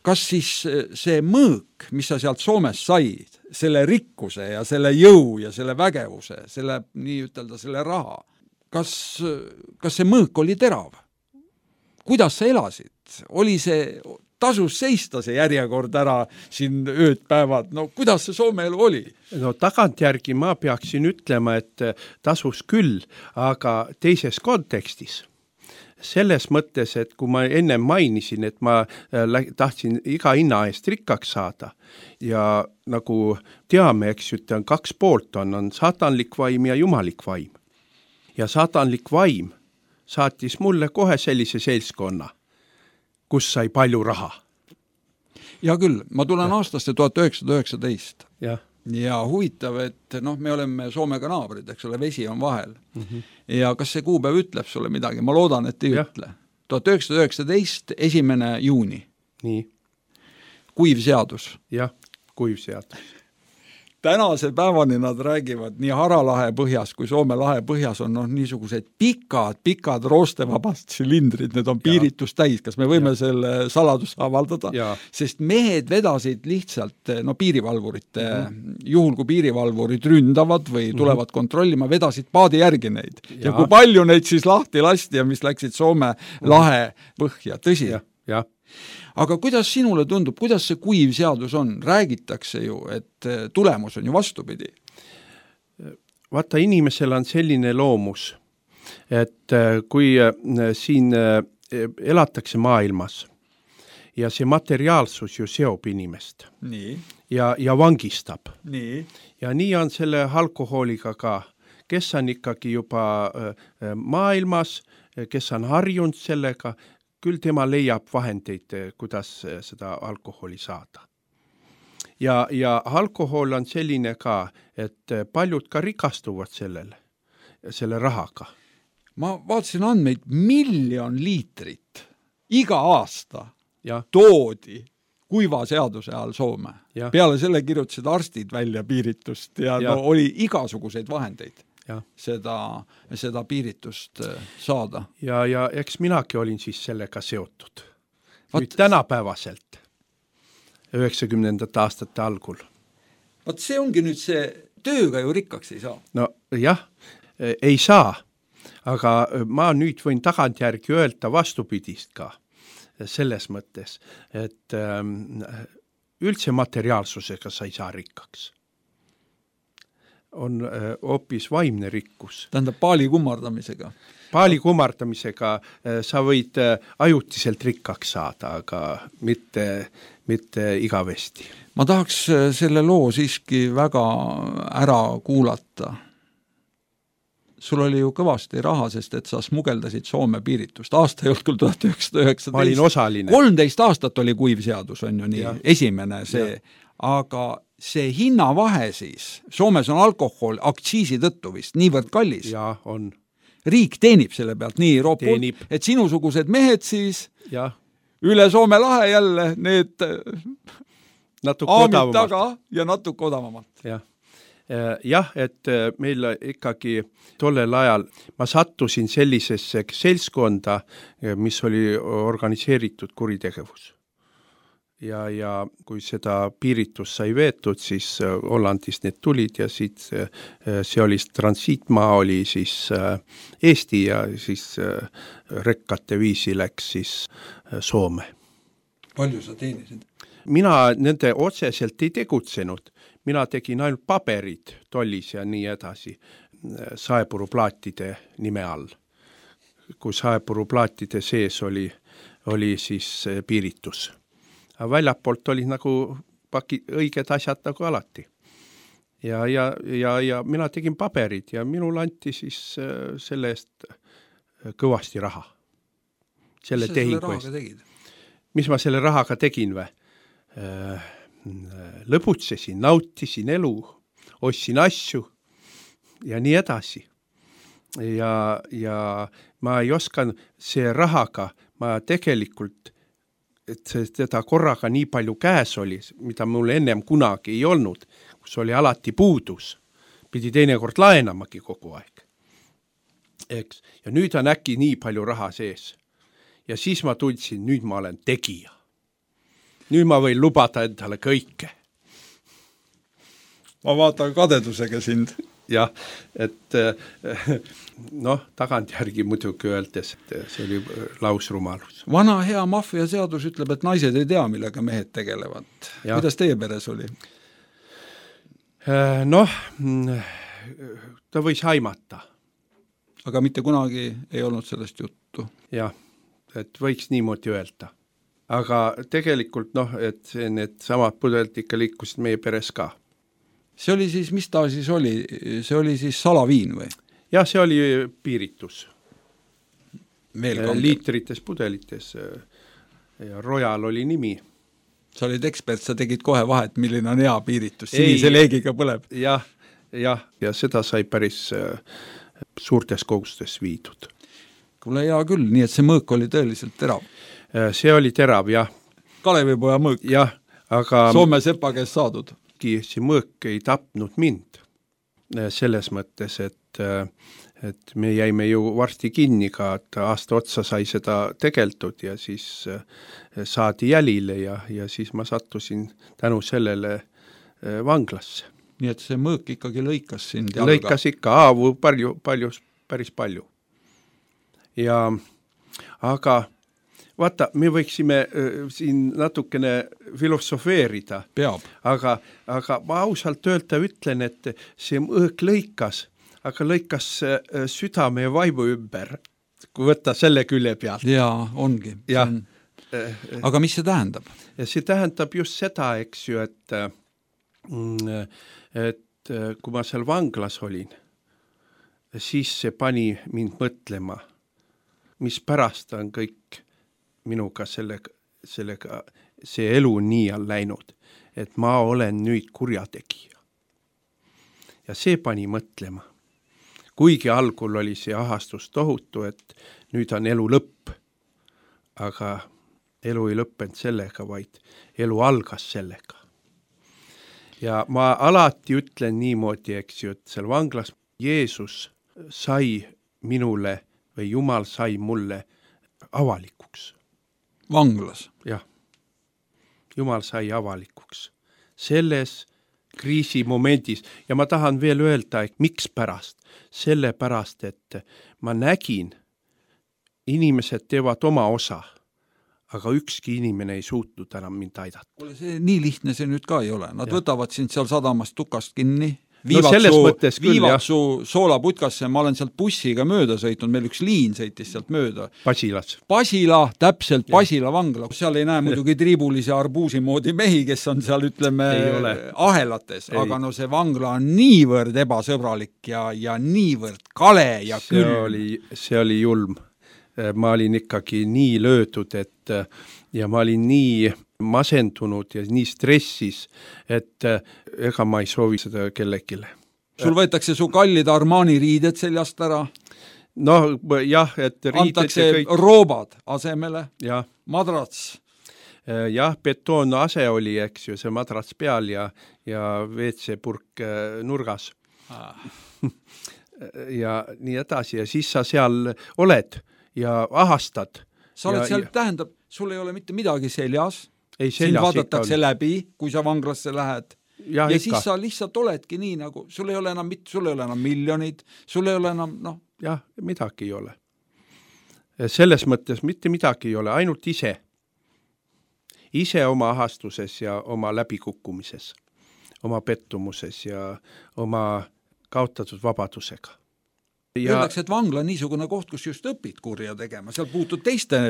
kas siis see mõõk, mis sa sealt Soomes said, selle rikkuse ja selle jõu ja selle vägevuse, selle, nii ütelda, selle raha, kas see mõõk oli terav? Kuidas sa elasid? Oli see, tasus seista see järjekord ära siin ööd päevad? No kuidas see Soome elu oli? No tagantjärgi ma peaksin ütlema, et tasus küll, aga teises kontekstis. Selles mõttes, et kui ma enne mainisin, et ma tahtsin iga hinna eest rikkaks saada ja nagu teame, eks ju, on 2 poolt, on saatanlik vaim ja jumalik vaim. Ja saatanlik vaim saatis mulle kohe sellise seltskonna, kus sai palju raha. Ja küll, ma tulen aastasse 1919. Ja huvitav, et me oleme Soomega naabrid, eks ole, vesi on vahel. Ja kas see kuupäev ütleb sulle midagi? Ma loodan, et ei ütle. 1919, 1. juuni. Nii. Kuiv seadus. Jah, kuiv seadus. Tänase päevani nad räägivad nii Haralahe põhjas kui Soome lahe põhjas on niisugused pikad roostevabast silindrid, need on piiritus täis. Kas me võime selle saladus avaldada? Sest mehed vedasid lihtsalt piirivalvurite, juhul kui piirivalvurid ründavad või tulevad kontrollima, vedasid paadi järgi neid. Ja kui palju neid siis lahti lasti ja mis läksid Soome lahe põhja, tõsi? Jah. Aga kuidas sinule tundub, kuidas see kuiv seadus on? Räägitakse ju, et tulemus on ju vastupidi. Vaata, inimesel on selline loomus, et kui siin elatakse maailmas ja see materiaalsus ju seob inimest nii. Ja vangistab. Nii. Ja nii on selle alkohooliga ka, kes on ikkagi juba maailmas, kes on harjunud sellega, küll tema leiab vahendeid, kuidas seda alkoholi saada. Ja alkohol on selline ka, et paljud ka rikastuvad selle rahaga. Ma vaatasin andmeid, 1 miljon liitrit iga aasta toodi kuiva seaduse all Soome. Peale selle kirjutasid arstid välja piiritust ja oli igasuguseid vahendeid. Seda piiritust saada. Ja eks minagi olin siis sellega seotud. Nüüd tänapäevaselt, 90. aastate algul. Vaat see ongi nüüd see, tööga ju rikkaks ei saa. No jah, ei saa, aga ma nüüd võin tagantjärgi öelda vastupidist ka selles mõttes, et üldse materiaalsusega sa ei saa rikkaks. On hoopis vaimne rikkus. Tähendab paali kummardamisega. Paali kummardamisega sa võid ajutiselt rikkaks saada, aga mitte igavesti. Ma tahaks selle loo siiski väga ära kuulata. Sul oli ju kõvasti raha, sest et sa smugeldasid Soome piiritust. Aasta ei olnud küll 1919. Ma olin osaline. 13 aastat oli kuiv seadus, on ju nii. Esimene see. Aga see hinnavahe siis, Soomes on alkohol aktsiisi tõttu vist niivõrd kallis. Ja, on. Riik teenib selle pealt nii roopult, et sinusugused mehed siis üle Soome lahe jälle need aamid taga ja natuke odavamalt. Jah, et meil ikkagi tollel ajal ma sattusin sellisesse seltskonda, mis oli organiseeritud kuritegevus. ja kui seda piiritus sai veetud, siis Hollandist need tulid ja siit see oli transiitmaa, oli siis Eesti ja siis rekkate viisi läks siis Soome. Palju sa teenisid? Mina nende otseselt ei tegutsenud, mina tegin ainult paberid tollis ja nii edasi saepuruplaatide nime all. Kui saepuruplaatide sees oli siis piiritus. Aga väljapoolt oli nagu õiged asjad nagu alati. Ja mina tegin paberid ja minul anti siis selle eest kõvasti raha. Selle tehingu eest. Mis ma selle rahaga tegin või? Lõbutsesin, nautisin elu, ostsin asju ja nii edasi. Ja ma ei osanud see rahaga, ma tegelikult et teda korraga nii palju käes oli, mida mul ennem kunagi ei olnud, kus oli alati puudus. Pidi teinekord laenamagi kogu aeg. Eks? Ja nüüd on äkki nii palju raha sees. Ja siis ma tundsin, nüüd ma olen tegija. Nüüd ma võin lubada endale kõike. Ma vaatan kadedusega sind. Jah, et tagantjärgi muidugi öeldes, et see oli lausrumalus. Vana hea maffia seadus ütleb, et naised ei tea, millega mehed tegelevad. Ja. Kuidas teie peres oli? Ta võis haimata. Aga mitte kunagi ei olnud sellest juttu. Jah, et võiks niimoodi öelda. Aga tegelikult, et need samad pudelid ikka liikusid meie peres ka. See oli siis, mis ta siis oli? See oli siis salaviin või? Jah, see oli piiritus. Veel liitrites pudelites ja Royal oli nimi. Sa olid ekspert, sa tegid kohe vahet, milline on hea piiritus, sinise leegiga põleb. Ja seda sai päris suurtes kogustes viidud. Kuule hea küll, nii et see mõõk oli tõeliselt terav. See oli terav, jah. Kalevipoja mõõk. Jah, aga Soome sepa käest saadud. See mõõk ei tapnud mind selles mõttes, et me jäime ju varsti kinni ka, et aasta otsa sai seda tegeldud ja siis saadi jälile ja siis ma sattusin tänu sellele vanglasse. Nii et see mõõk ikkagi lõikas sind jalga? Lõikas ikka, haavu päris palju. Aga vaata, me võiksime siin natukene filosofeerida. Peab. Aga ma ausalt ütlen, et see mõõk lõikas, aga lõikas südame ja vaimu ümber, kui võtta selle külje pealt. Jaa, ongi. Ja. Aga mis see tähendab? Ja see tähendab just seda, eks ju, et kui ma seal vanglas olin, siis see pani mind mõtlema, mis pärast on kõik minuga sellega see elu nii on läinud, et ma olen nüüd kurjategija. Ja see pani mõtlema. Kuigi algul oli see ahastus tohutu, et nüüd on elu lõpp, aga elu ei lõppenud sellega, vaid elu algas sellega. Ja ma alati ütlen niimoodi, eks ju, et seal vanglas Jeesus sai minule või Jumal sai mulle avalikuks. Vanglas? Jah. Jumal sai avalikuks. Selles kriisimomendis. Ja ma tahan veel öelda, et miks pärast? Sellepärast, et ma nägin, inimesed teevad oma osa, aga ükski inimene ei suutnud enam mind aidata. See nii lihtne see nüüd ka ei ole. Nad võtavad sind seal sadamast tukast kinni, viivad su soolaputkasse, ma olen sealt bussiga mööda sõitnud, meil üks liin sõitis sealt mööda. Pasila, täpselt Pasila vangla. Seal ei näe muidugi triibulise arbuusi moodi mehi, kes on seal, ütleme, ahelates, aga see vangla on niivõrd ebasõbralik ja niivõrd kale ja külm. See oli julm. Ma olin ikkagi nii löödud, ja ma olin nii masendunud ja nii stressis, et ega ma ei soovi seda kellegile. Sul võetakse su kallid Armani riided seljast ära? Jah, et riided antakse roobad asemele? Ja. Madrats? Jah, betoon ase oli, eks ju, see madrats peal ja WC-purk nurgas. Ja nii edasi ja siis sa seal oled ja ahastad. Sa oled seal, tähendab, sul ei ole mitte midagi seljas, sind vaadatakse läbi, kui sa vanglasse lähed. Ja ikka. Siis sa lihtsalt oledki nii, nagu sul ei ole enam miljonid, sul ei ole enam, Jah, midagi ei ole. Selles mõttes mitte midagi ei ole, ainult ise. Ise oma ahastuses ja oma läbikukkumises, oma pettumuses ja oma kaotatud vabadusega. Öeldakse, et vangla on niisugune koht, kus just õpid kurja tegema, seal puutud teiste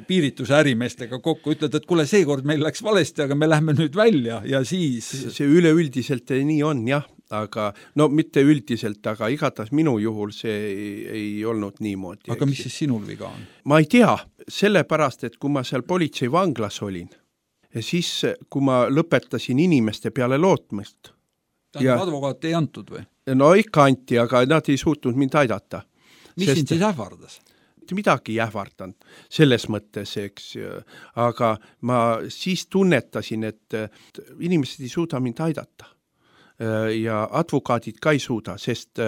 piirituse ärimeestega kokku, ütled, et kuule, seekord meil läks valesti, aga me lähme nüüd välja ja siis... See üleüldiselt nii on, jah, aga no mitte üldiselt, aga igatahes minu juhul see ei olnud niimoodi. Aga mis siis sinul viga on? Ma ei tea, sellepärast, et kui ma seal politsei vanglas olin, ja siis kui ma lõpetasin inimeste peale lootmist. Advokaat ei antud või? No ikka anti, aga nad ei suutnud mind aidata. Mis sind siis ähvardas? Midagi ei ähvardanud selles mõttes, eks, aga ma siis tunnetasin, et inimesed ei suuda mind aidata. Ja advokaadid ka ei suuda, sest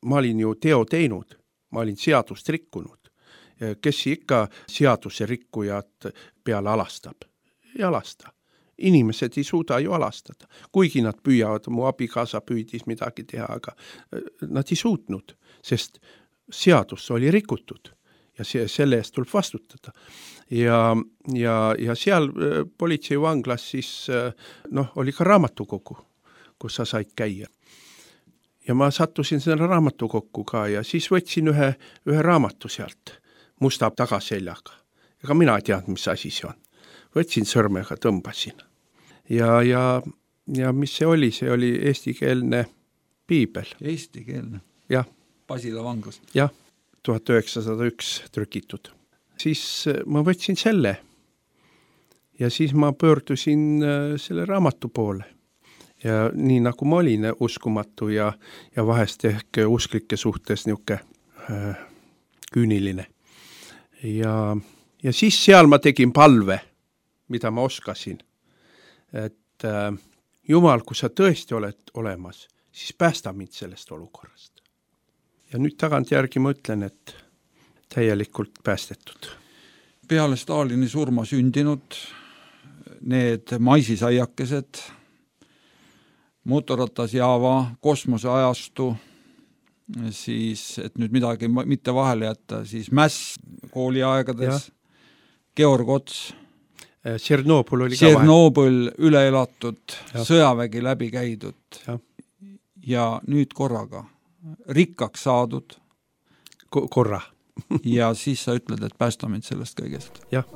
ma olin ju teo teinud, ma olin seadust rikkunud. Kes ikka seaduse rikkujad peale alastab? Ei alasta. Inimesed ei suuda ju alastada, kuigi nad püüavad, mu abikaasa püüdis midagi teha, aga nad ei suutnud, sest seadus oli rikutud ja selle eest tuleb vastutada. Ja seal politsei vanglas siis oli ka raamatukogu, kus sa said käia. Ja ma sattusin selle raamatukokku ka ja siis võtsin ühe raamatu sealt musta tagaseljaga. Ega mina ei teadnud, mis asi see on. Võtsin sõrmega, tõmbasin. Ja mis see oli eestikeelne piibel. Eestikeelne? Jah. Pasila vanglas? Jah, 1901 trükitud. Siis ma võtsin selle ja siis ma pöördusin selle raamatu poole. Ja nii nagu ma olin uskumatu ja vahest ehk usklike suhtes niuke küüniline. Ja siis seal ma tegin palve, mida ma oskasin, et Jumal, kui sa tõesti oled olemas, siis päästa mind sellest olukorrast. Ja nüüd tagantjärgi ma ütlen, et täielikult päästetud. Peale Stalini surma sündinud need maisisaiakesed, motoratas Java, kosmoseajastu, siis, et nüüd midagi mitte vahele jätta, siis Mäss kooliaegades, Georg Ots, Tšernobõl oli Tšernobõl üle elatud, sõjavägi läbi käidud ja nüüd korraga rikkaks saadud. Korra. Ja siis sa ütled, et päästa mind sellest kõigest. Jah.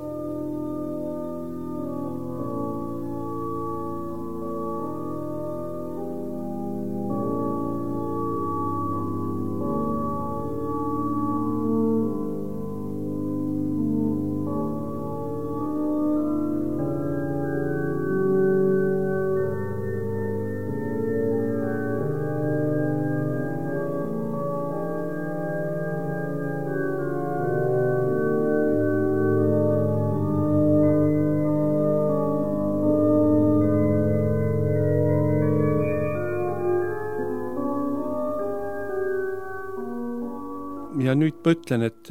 Ja nüüd ma ütlen, et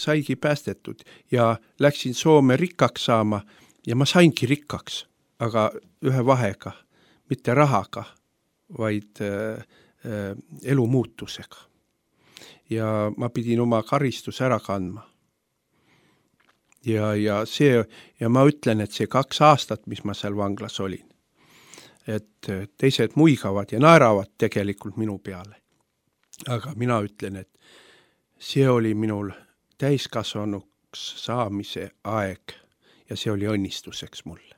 saigi päästetud ja läksin Soome rikkaks saama ja ma saingi rikkaks, aga ühe vahega, mitte rahaga, vaid elu muutusega. Ja ma pidin oma karistus ära kandma. Ja ma ütlen, et see 2 aastat, mis ma seal vanglas olin, et teised muigavad ja naeravad tegelikult minu peale. Aga mina ütlen, et see oli minul täiskasvanuks saamise aeg ja see oli õnnistuseks mulle.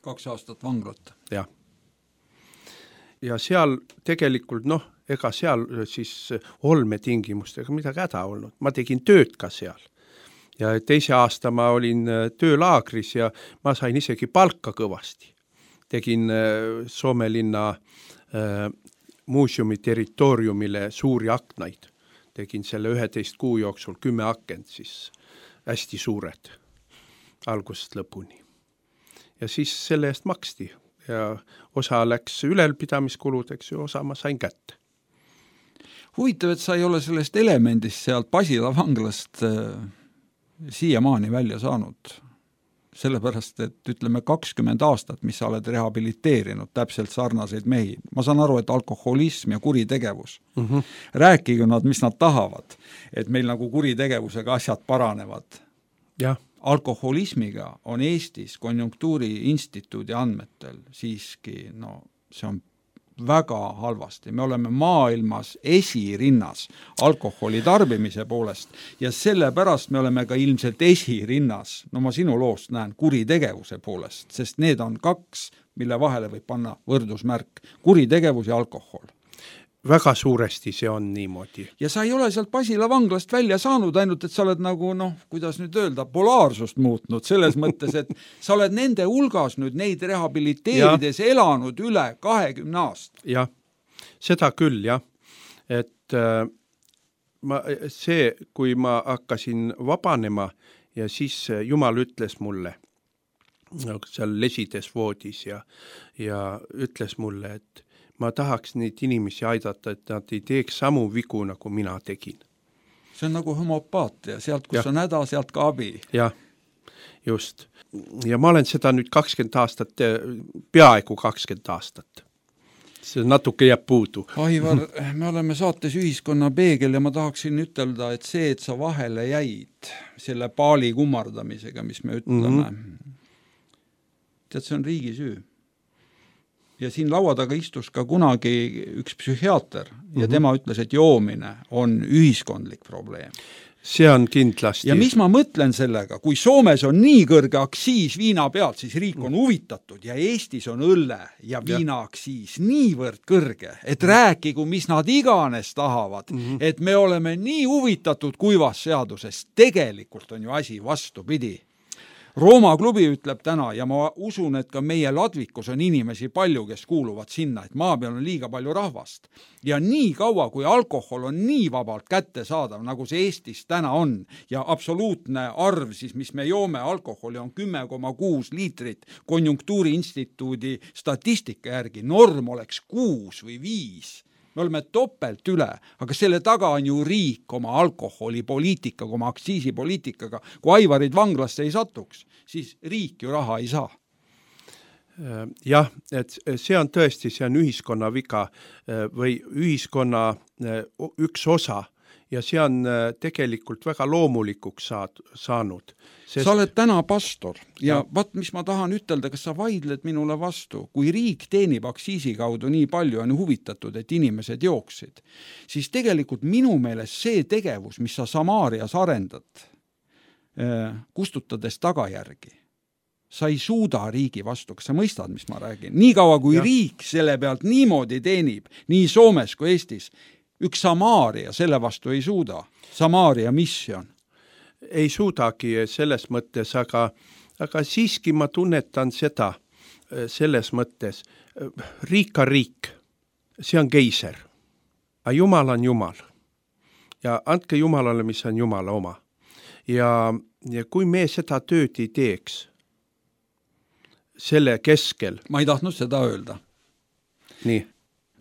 2 aastat vanglat. Jah. Ja seal tegelikult, ega seal siis olmetingimustega midagi häda olnud. Ma tegin tööd ka seal. Ja 2 aasta ma olin töölaagris ja ma sain isegi palka kõvasti. Tegin Soome linna muuseumi territooriumile suuri aknaid. Tegin selle 11 kuu jooksul 10 akent, siis hästi suured algusest lõpuni. Ja siis selle eest maksti ja osa läks ülalpidamiskuludeks ja osa ma sain kätte. Huvitav, et sa ei ole sellest elemendist sealt Pasila vanglast siiamaani välja saanud. sellepärast, et ütleme 20 aastat, mis sa oled rehabiliteerinud täpselt sarnaseid mehi. Ma saan aru, et alkoholism ja kuritegevus, rääkige nad, mis nad tahavad, et meil nagu kuritegevusega asjad paranevad. jah, Alkoholismiga on Eestis Konjunktuuri Instituudi andmetel siiski, no see on väga halvasti. Me oleme maailmas esirinnas alkoholi tarbimise poolest ja sellepärast me oleme ka ilmselt esirinnas, no ma sinu loost näen, kuritegevuse poolest, sest need on kaks, mille vahele võib panna võrdusmärk, kuritegevus ja alkohol. väga suuresti see on niimoodi. Ja sa ei ole sealt Pasila vanglast välja saanud, ainult et sa oled nagu, kuidas nüüd öelda, polaarsust muutnud selles mõttes, et sa oled nende hulgas nüüd neid rehabiliteerides elanud üle 20 aastat. Jah, seda küll, jah. Et kui ma hakkasin vabanema ja siis Jumal ütles mulle, seal lesides voodis ja ütles mulle, et ma tahaks neid inimesi aidata, et nad ei teeks samu vigu, nagu mina tegin. See on nagu homopaatia, sealt kus on häda, sealt ka abi. Jah, just. Ja ma olen seda nüüd 20 aastat, peaaegu 20 aastat. See natuke jääb puudu. Aivar, me oleme saates Ühiskonna peegel ja ma tahaksin ütelda, et see, et sa vahele jäid selle paali kummardamisega, mis me ütleme, tead, see on riigi süü. Ja siin laua taga istus ka kunagi üks psühhiaater ja tema ütles, et joomine on ühiskondlik probleem. See on kindlasti. Ja mis ma mõtlen sellega, kui Soomes on nii kõrge aksiis viina pealt, siis riik on huvitatud ja Eestis on õlle ja viina aksiis niivõrd kõrge, et rääkigu, mis nad iganes tahavad, et me oleme nii huvitatud kuivast seadusest. Tegelikult on ju asi vastupidi. Rooma klubi ütleb täna ja ma usun, et ka meie Ladvikus on inimesi palju, kes kuuluvad sinna, et maa peal on liiga palju rahvast. Ja nii kaua, kui alkohol on nii vabalt kätte saadav, nagu see Eestis täna on, ja absoluutne arv, siis mis me joome alkoholi on 10,6 liitrit Konjunktuuri Instituudi statistika järgi, norm oleks 6 või 5. Me oleme topelt üle, aga selle taga on ju riik oma alkoholipoliitikaga, oma aktsiisipoliitikaga. Kui Aivarid vanglasse ei satuks, siis riik ju raha ei saa. Jah, et see on tõesti, see on ühiskonna viga või ühiskonna üks osa ja see on tegelikult väga loomulikuks saanud. Sa oled täna pastor ja vaat, mis ma tahan ütelda, kas sa vaidled minule vastu, kui riik teenib aktsiisi kaudu nii palju on huvitatud, et inimesed jooksid, siis tegelikult minu meelest see tegevus, mis sa Samaarias arendad, kustutades tagajärgi, sa ei suuda riigi vastu, kas sa mõistad, mis ma räägin? Nii kaua, kui riik selle pealt niimoodi teenib, nii Soomes kui Eestis, üks Samaaria selle vastu ei suuda. Samaaria mission. Ei suudagi selles mõttes, aga siiski ma tunnetan seda selles mõttes. Riik on riik, see on keiser, aga Jumal on Jumal. Ja andke Jumalale, mis on Jumala oma. Ja kui me seda tööd ei teeks selle keskel... Ma ei tahtnud seda öelda. Nii.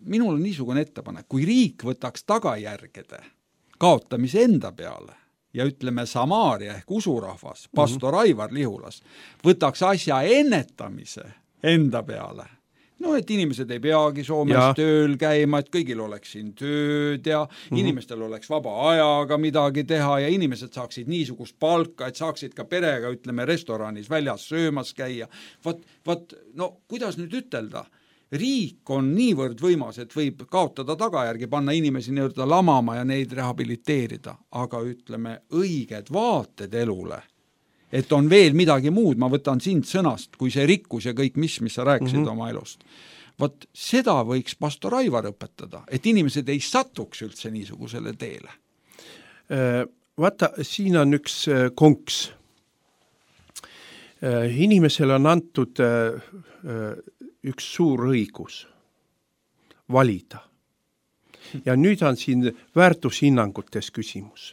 Minul on niisugune ettepanek, kui riik võtaks tagajärgede kaotamise enda peale ja ütleme Samaaria ehk usurahvas, pastor Aivar Lihulas, võtaks asja ennetamise enda peale. No, et inimesed ei peagi Soomes tööl käima, et kõigil oleks siin tööd ja inimestel oleks vaba ajaga midagi teha ja inimesed saaksid niisugust palka, et saaksid ka perega, ütleme, restoranis väljas söömas käia. No, kuidas nüüd ütelda? Riik on niivõrd võimas, et võib kaotada tagajärgi, panna inimesi nii-öelda lamama ja neid rehabiliteerida, aga ütleme õiged vaated elule, et on veel midagi muud, ma võtan sind sõnast, kui see rikkus ja kõik mis sa rääkisid oma elust. Vot seda võiks pastor Aivar õpetada, et inimesed ei satuks üldse niisugusele teele. Vaata, siin on üks konks. Inimesele on antud üks suur õigus valida. Ja nüüd on siin väärtushinnangutes küsimus.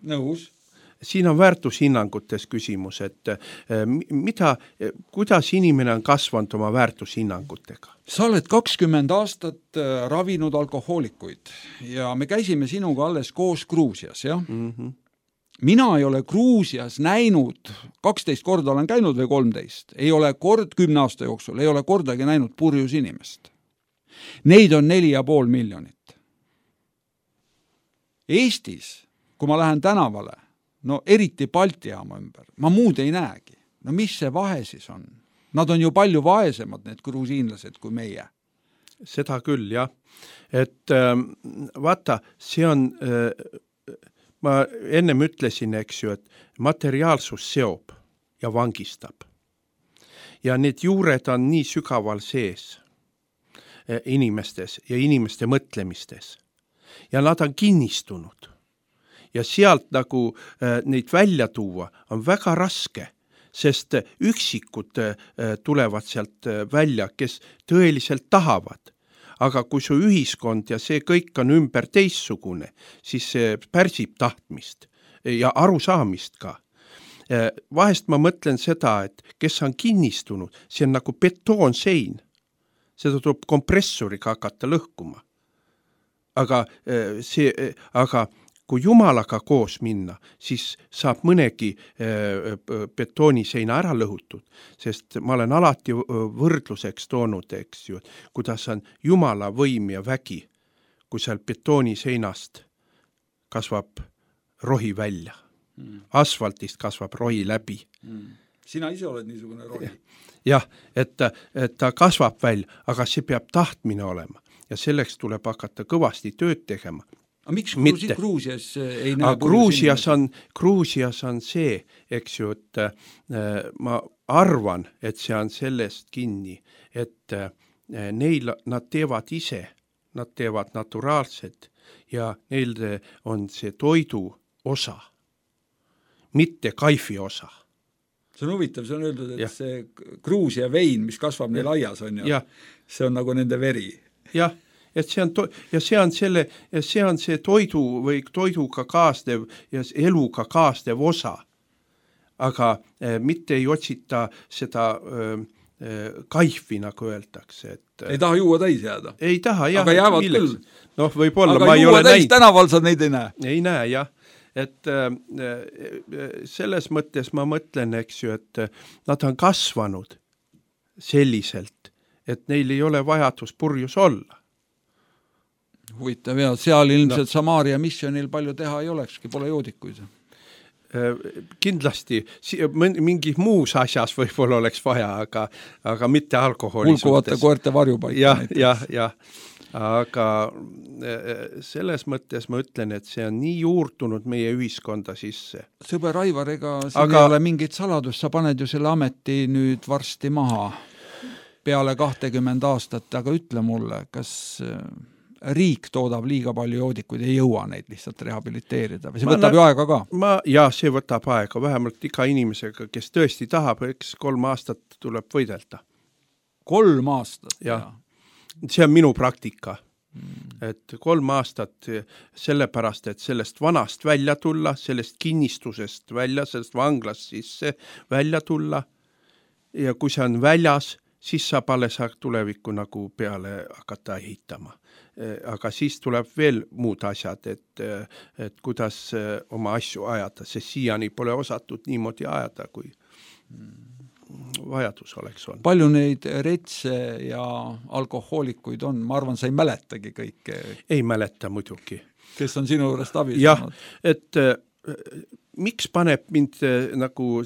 Nõus. Siin on väärtushinnangutes küsimus, et kuidas inimene on kasvanud oma väärtushinnangutega? Sa oled 20 aastat ravinud alkohoolikuid ja me käisime sinuga alles koos Gruusias, jah? mina ei ole Gruusias näinud, 12 korda olen käinud või 13, ei ole 10 aasta jooksul, ei ole kordagi näinud purjus inimest. Neid on 4,5 miljonit. Eestis, kui ma lähen tänavale, no eriti Balti jaama ümber, ma muud ei näegi. No mis see vahe siis on? Nad on ju palju vaesemad, need gruusiinlased, kui meie. Seda küll, jah. Et vaata, see on, ma ennem ütlesin, eks ju, et materiaalsus seob ja vangistab. Ja need juured on nii sügaval sees inimestes ja inimeste mõtlemistes. Ja nad on kinnistunud. Ja sealt nagu neid välja tuua on väga raske, sest üksikud tulevad sealt välja, kes tõeliselt tahavad. Aga kui su ühiskond ja see kõik on ümber teissugune, siis see pärsib tahtmist ja arusaamist ka. Vahest ma mõtlen seda, et kes on kinnistunud, see on nagu betoonsein. Seda tuleb kompressoriga hakata lõhkuma. Aga kui Jumalaga koos minna, siis saab mõnegi betooniseina ära lõhutud, sest ma olen alati võrdluseks toonud, eks ju, kuidas on Jumala võim ja vägi, kui seal betooniseinast kasvab rohi välja. Asfaltist kasvab rohi läbi. Sina ise oled niisugune rohi. Jah, et ta kasvab välja, aga see peab tahtmine olema ja selleks tuleb hakata kõvasti tööd tegema. Aga miks Gruusias ei näe? Gruusias on see, eks ju, et ma arvan, et see on sellest kinni, et nad teevad ise, nad teevad naturaalselt ja neil on see toidu osa, mitte kaifi osa. See on huvitav, see on öeldud, et see Gruusia vein, mis kasvab neil aias, on ju, see on nagu nende veri. Jah, et see on see toidu või toiduga kaasnev ja eluga kaasnev osa. Aga mitte ei otsita seda kaifi, nagu öeldakse. Ei taha juua täis jääda? Ei taha, jah. Aga jäävad küll? Noh, võib-olla aga ma ei ole näinud. Tänaval sa neid ei näe? Ei näe, jah. Et selles mõttes ma mõtlen, eks ju, et nad on kasvanud selliselt, et neil ei ole vajadus purjus olla. Huvitav, ja seal ilmselt Samaaria missionil palju teha ei olekski, pole joodikuid. Kindlasti, mingi muus asjas võib-olla oleks vaja, aga mitte alkoholi hulkuvate koerte varjupaik. Jah. Aga selles mõttes ma ütlen, et see on nii juurtunud meie ühiskonda sisse. Sõber Aivar, ega siin ei ole mingit saladust, sa paned ju selle ameti nüüd varsti maha peale 20 aastat, aga ütle mulle, kas riik toodab liiga palju joodikuid, ei jõua neid lihtsalt rehabiliteerida või see võtab ju aega ka? See võtab aega, vähemalt iga inimesega, kes tõesti tahab, eks 3 aastat tuleb võidelda. 3 aastat? Jah. See on minu praktika, et 3 aastat sellepärast, et sellest vanast välja tulla, sellest kinnistusest välja, sellest vanglast sisse välja tulla ja kui see on väljas, siis saab alles tulevikku nagu peale hakata ehitama. Aga siis tuleb veel muud asjad, et kuidas oma asju ajada, sest siiani pole osatud niimoodi ajada, kui vajadus oleks olnud. Palju neid retse ja alkohoolikuid on? Ma arvan, sa ei mäletagi kõike. Ei mäleta muidugi. Kes on sinu juurest abistanud? Jah, et miks paneb mind nagu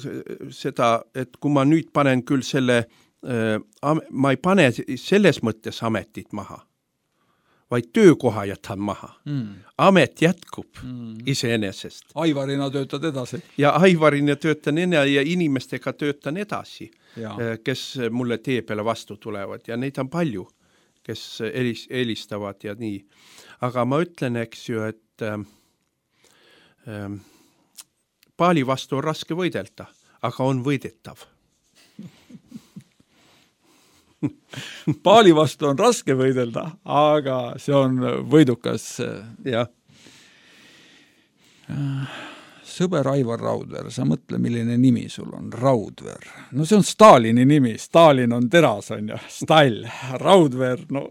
seda, et kui ma nüüd panen küll selle, ma ei pane selles mõttes ametit maha, vaid töökoha jätan maha. Amet jätkub iseenesest. Aivarina töötad edasi. Ja Aivarina töötan ja inimestega töötan edasi, kes mulle tee peale vastu tulevad ja neid on palju, kes helistavad ja nii. Aga ma ütlen, eks ju, et Paali vastu on raske võidelda, aga on võidetav. Paali vastu on raske võidelda, aga see on võidukas. Jah. Sõber Aivar Raudver, sa mõtle, milline nimi sul on, Raudver. No see on Stalini nimi, Stalin on teras, on ju, Stal, Raudver, no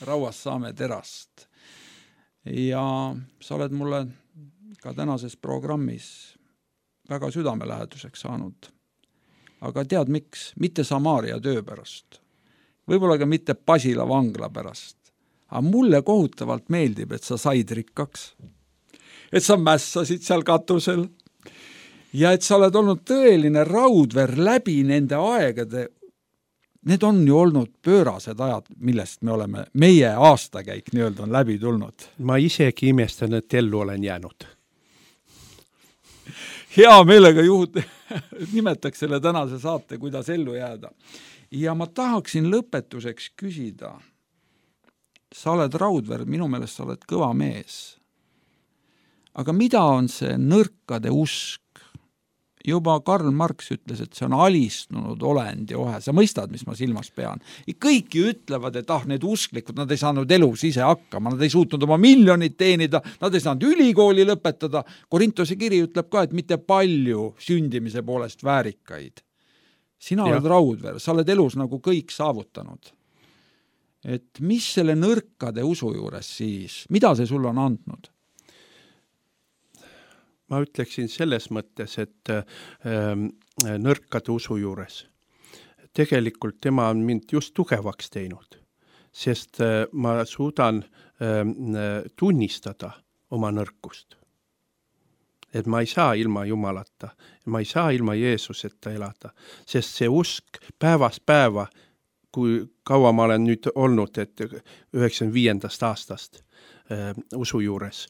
rauast saame terast. Ja sa oled mulle ka tänases programmis väga südameläheduseks saanud. Aga tead miks? Mitte Samaria töö pärast. Võib-olla ka mitte Pasila vangla pärast. Aga mulle kohutavalt meeldib, et sa said rikkaks. Et sa mässasid seal katusel. Ja et sa oled olnud tõeline raudver läbi nende aegade. Need on ju olnud pöörased ajad, millest me oleme, meie aastakäik nii-öelda on läbi tulnud. Ma isegi imestan, et ellu olen jäänud. Hea meelega nimetaks selle tänase saate, kuidas ellu jääda. Ja ma tahaksin lõpetuseks küsida. Sa oled raudver, minu meelest sa oled kõva mees. Aga mida on see nõrkade usk? Juba Karl Marx ütles, et see on alistunud olend ja ohe. Sa mõistad, mis ma silmas pean. Kõik ju ütlevad, et need usklikud, nad ei saanud elus ise hakkama, nad ei suutnud oma miljonit teenida, nad ei saanud ülikooli lõpetada. Korintose kiri ütleb ka, et mitte palju sündimise poolest väärikaid. Sina oled raudver, sa oled elus nagu kõik saavutanud. Et mis selle nõrkade usu juures siis, mida see sul on andnud? Ma ütleksin selles mõttes, et nõrkade usu juures. Tegelikult tema on mind just tugevaks teinud, sest ma suudan tunnistada oma nõrkust. Et ma ei saa ilma Jumalata, ma ei saa ilma Jeesuseta elada, sest see usk päevast päeva, kui kaua ma olen nüüd olnud, et 95. aastast usu juures,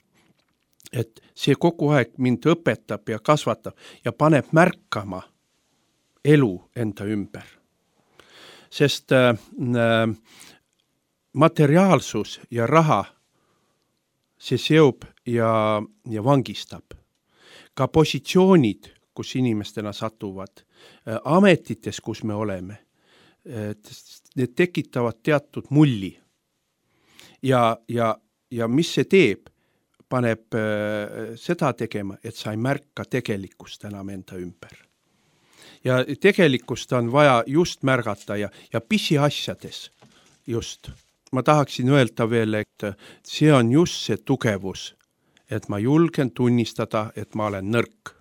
et see kogu aeg mind õpetab ja kasvatab ja paneb märkama elu enda ümber. Sest materiaalsus ja raha see seob ja vangistab. Ka positsioonid, kus inimestena satuvad, ametites, kus me oleme, need tekitavad teatud mulli. Ja mis see teeb? Paneb seda tegema, et sa ei märka tegelikkust enam enda ümber. Ja tegelikkust on vaja just märgata ja pisiasjades just. Ma tahaksin öelda veel, et see on just see tugevus, et ma julgen tunnistada, et ma olen nõrk.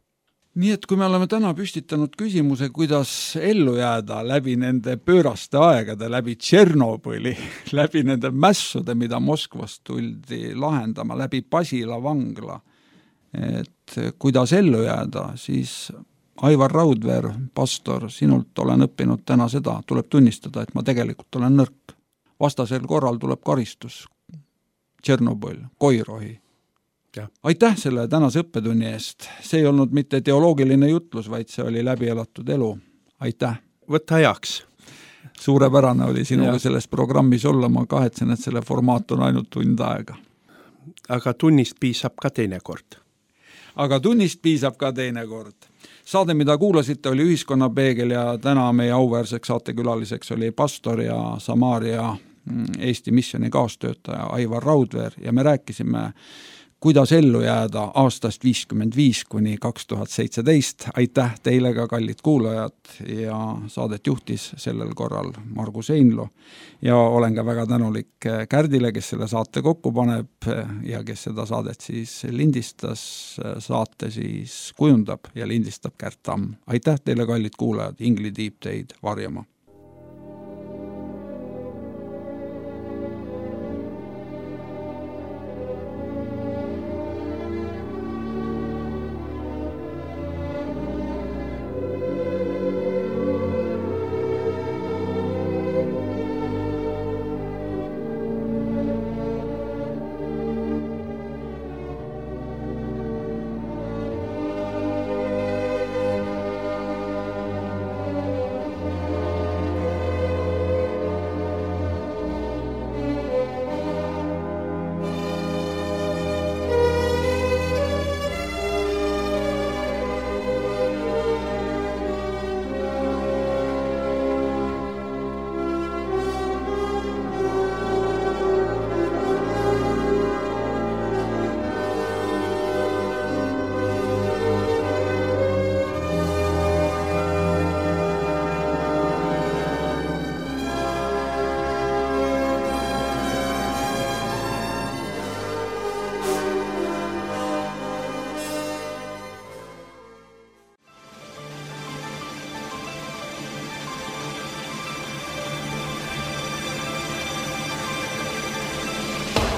Nii et kui me oleme täna püstitanud küsimuse, kuidas ellu jääda läbi nende pööraste aegade, läbi Tšernobõli, läbi nende mässude, mida Moskvast tuldi lahendama, läbi Pasila vangla, et kuidas ellu jääda, siis Aivar Raudver, pastor, sinult olen õppinud täna seda, tuleb tunnistada, et ma tegelikult olen nõrk. Vastasel korral tuleb karistus, Tšernobõl, koirohi. Aitäh selle tänase õppetunni eest. See ei olnud mitte teoloogiline jutlus, vaid see oli läbi elatud elu. Aitäh. Võtta ajaks. Suurepärane oli sinuga selles programmis olla. Ma kahetsen, et selle formaat on ainult tund aega. Aga tunnist piisab ka teinekord. Saade, mida kuulasite, oli Ühiskonnapeegel ja täna meie auväärseks saatekülaliseks oli pastor ja Samaria Eesti missiooni kaastöötaja Aivar Raudver ja me rääkisime kuidas ellu jääda aastast 55 kuni 2017. Aitäh teile ka, kallid kuulajad, ja saadet juhtis sellel korral Margus Einlo. Ja olen ka väga tänulik Kärdile, kes selle saate kokku paneb ja kes seda saadet siis lindistas, saate siis kujundab ja lindistab Kärt Tamm. Aitäh teile, kallid kuulajad, Ingli tiib teid varjama.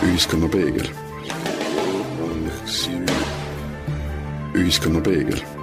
Ühiskonnapeegel. Ühiskonnapeegel.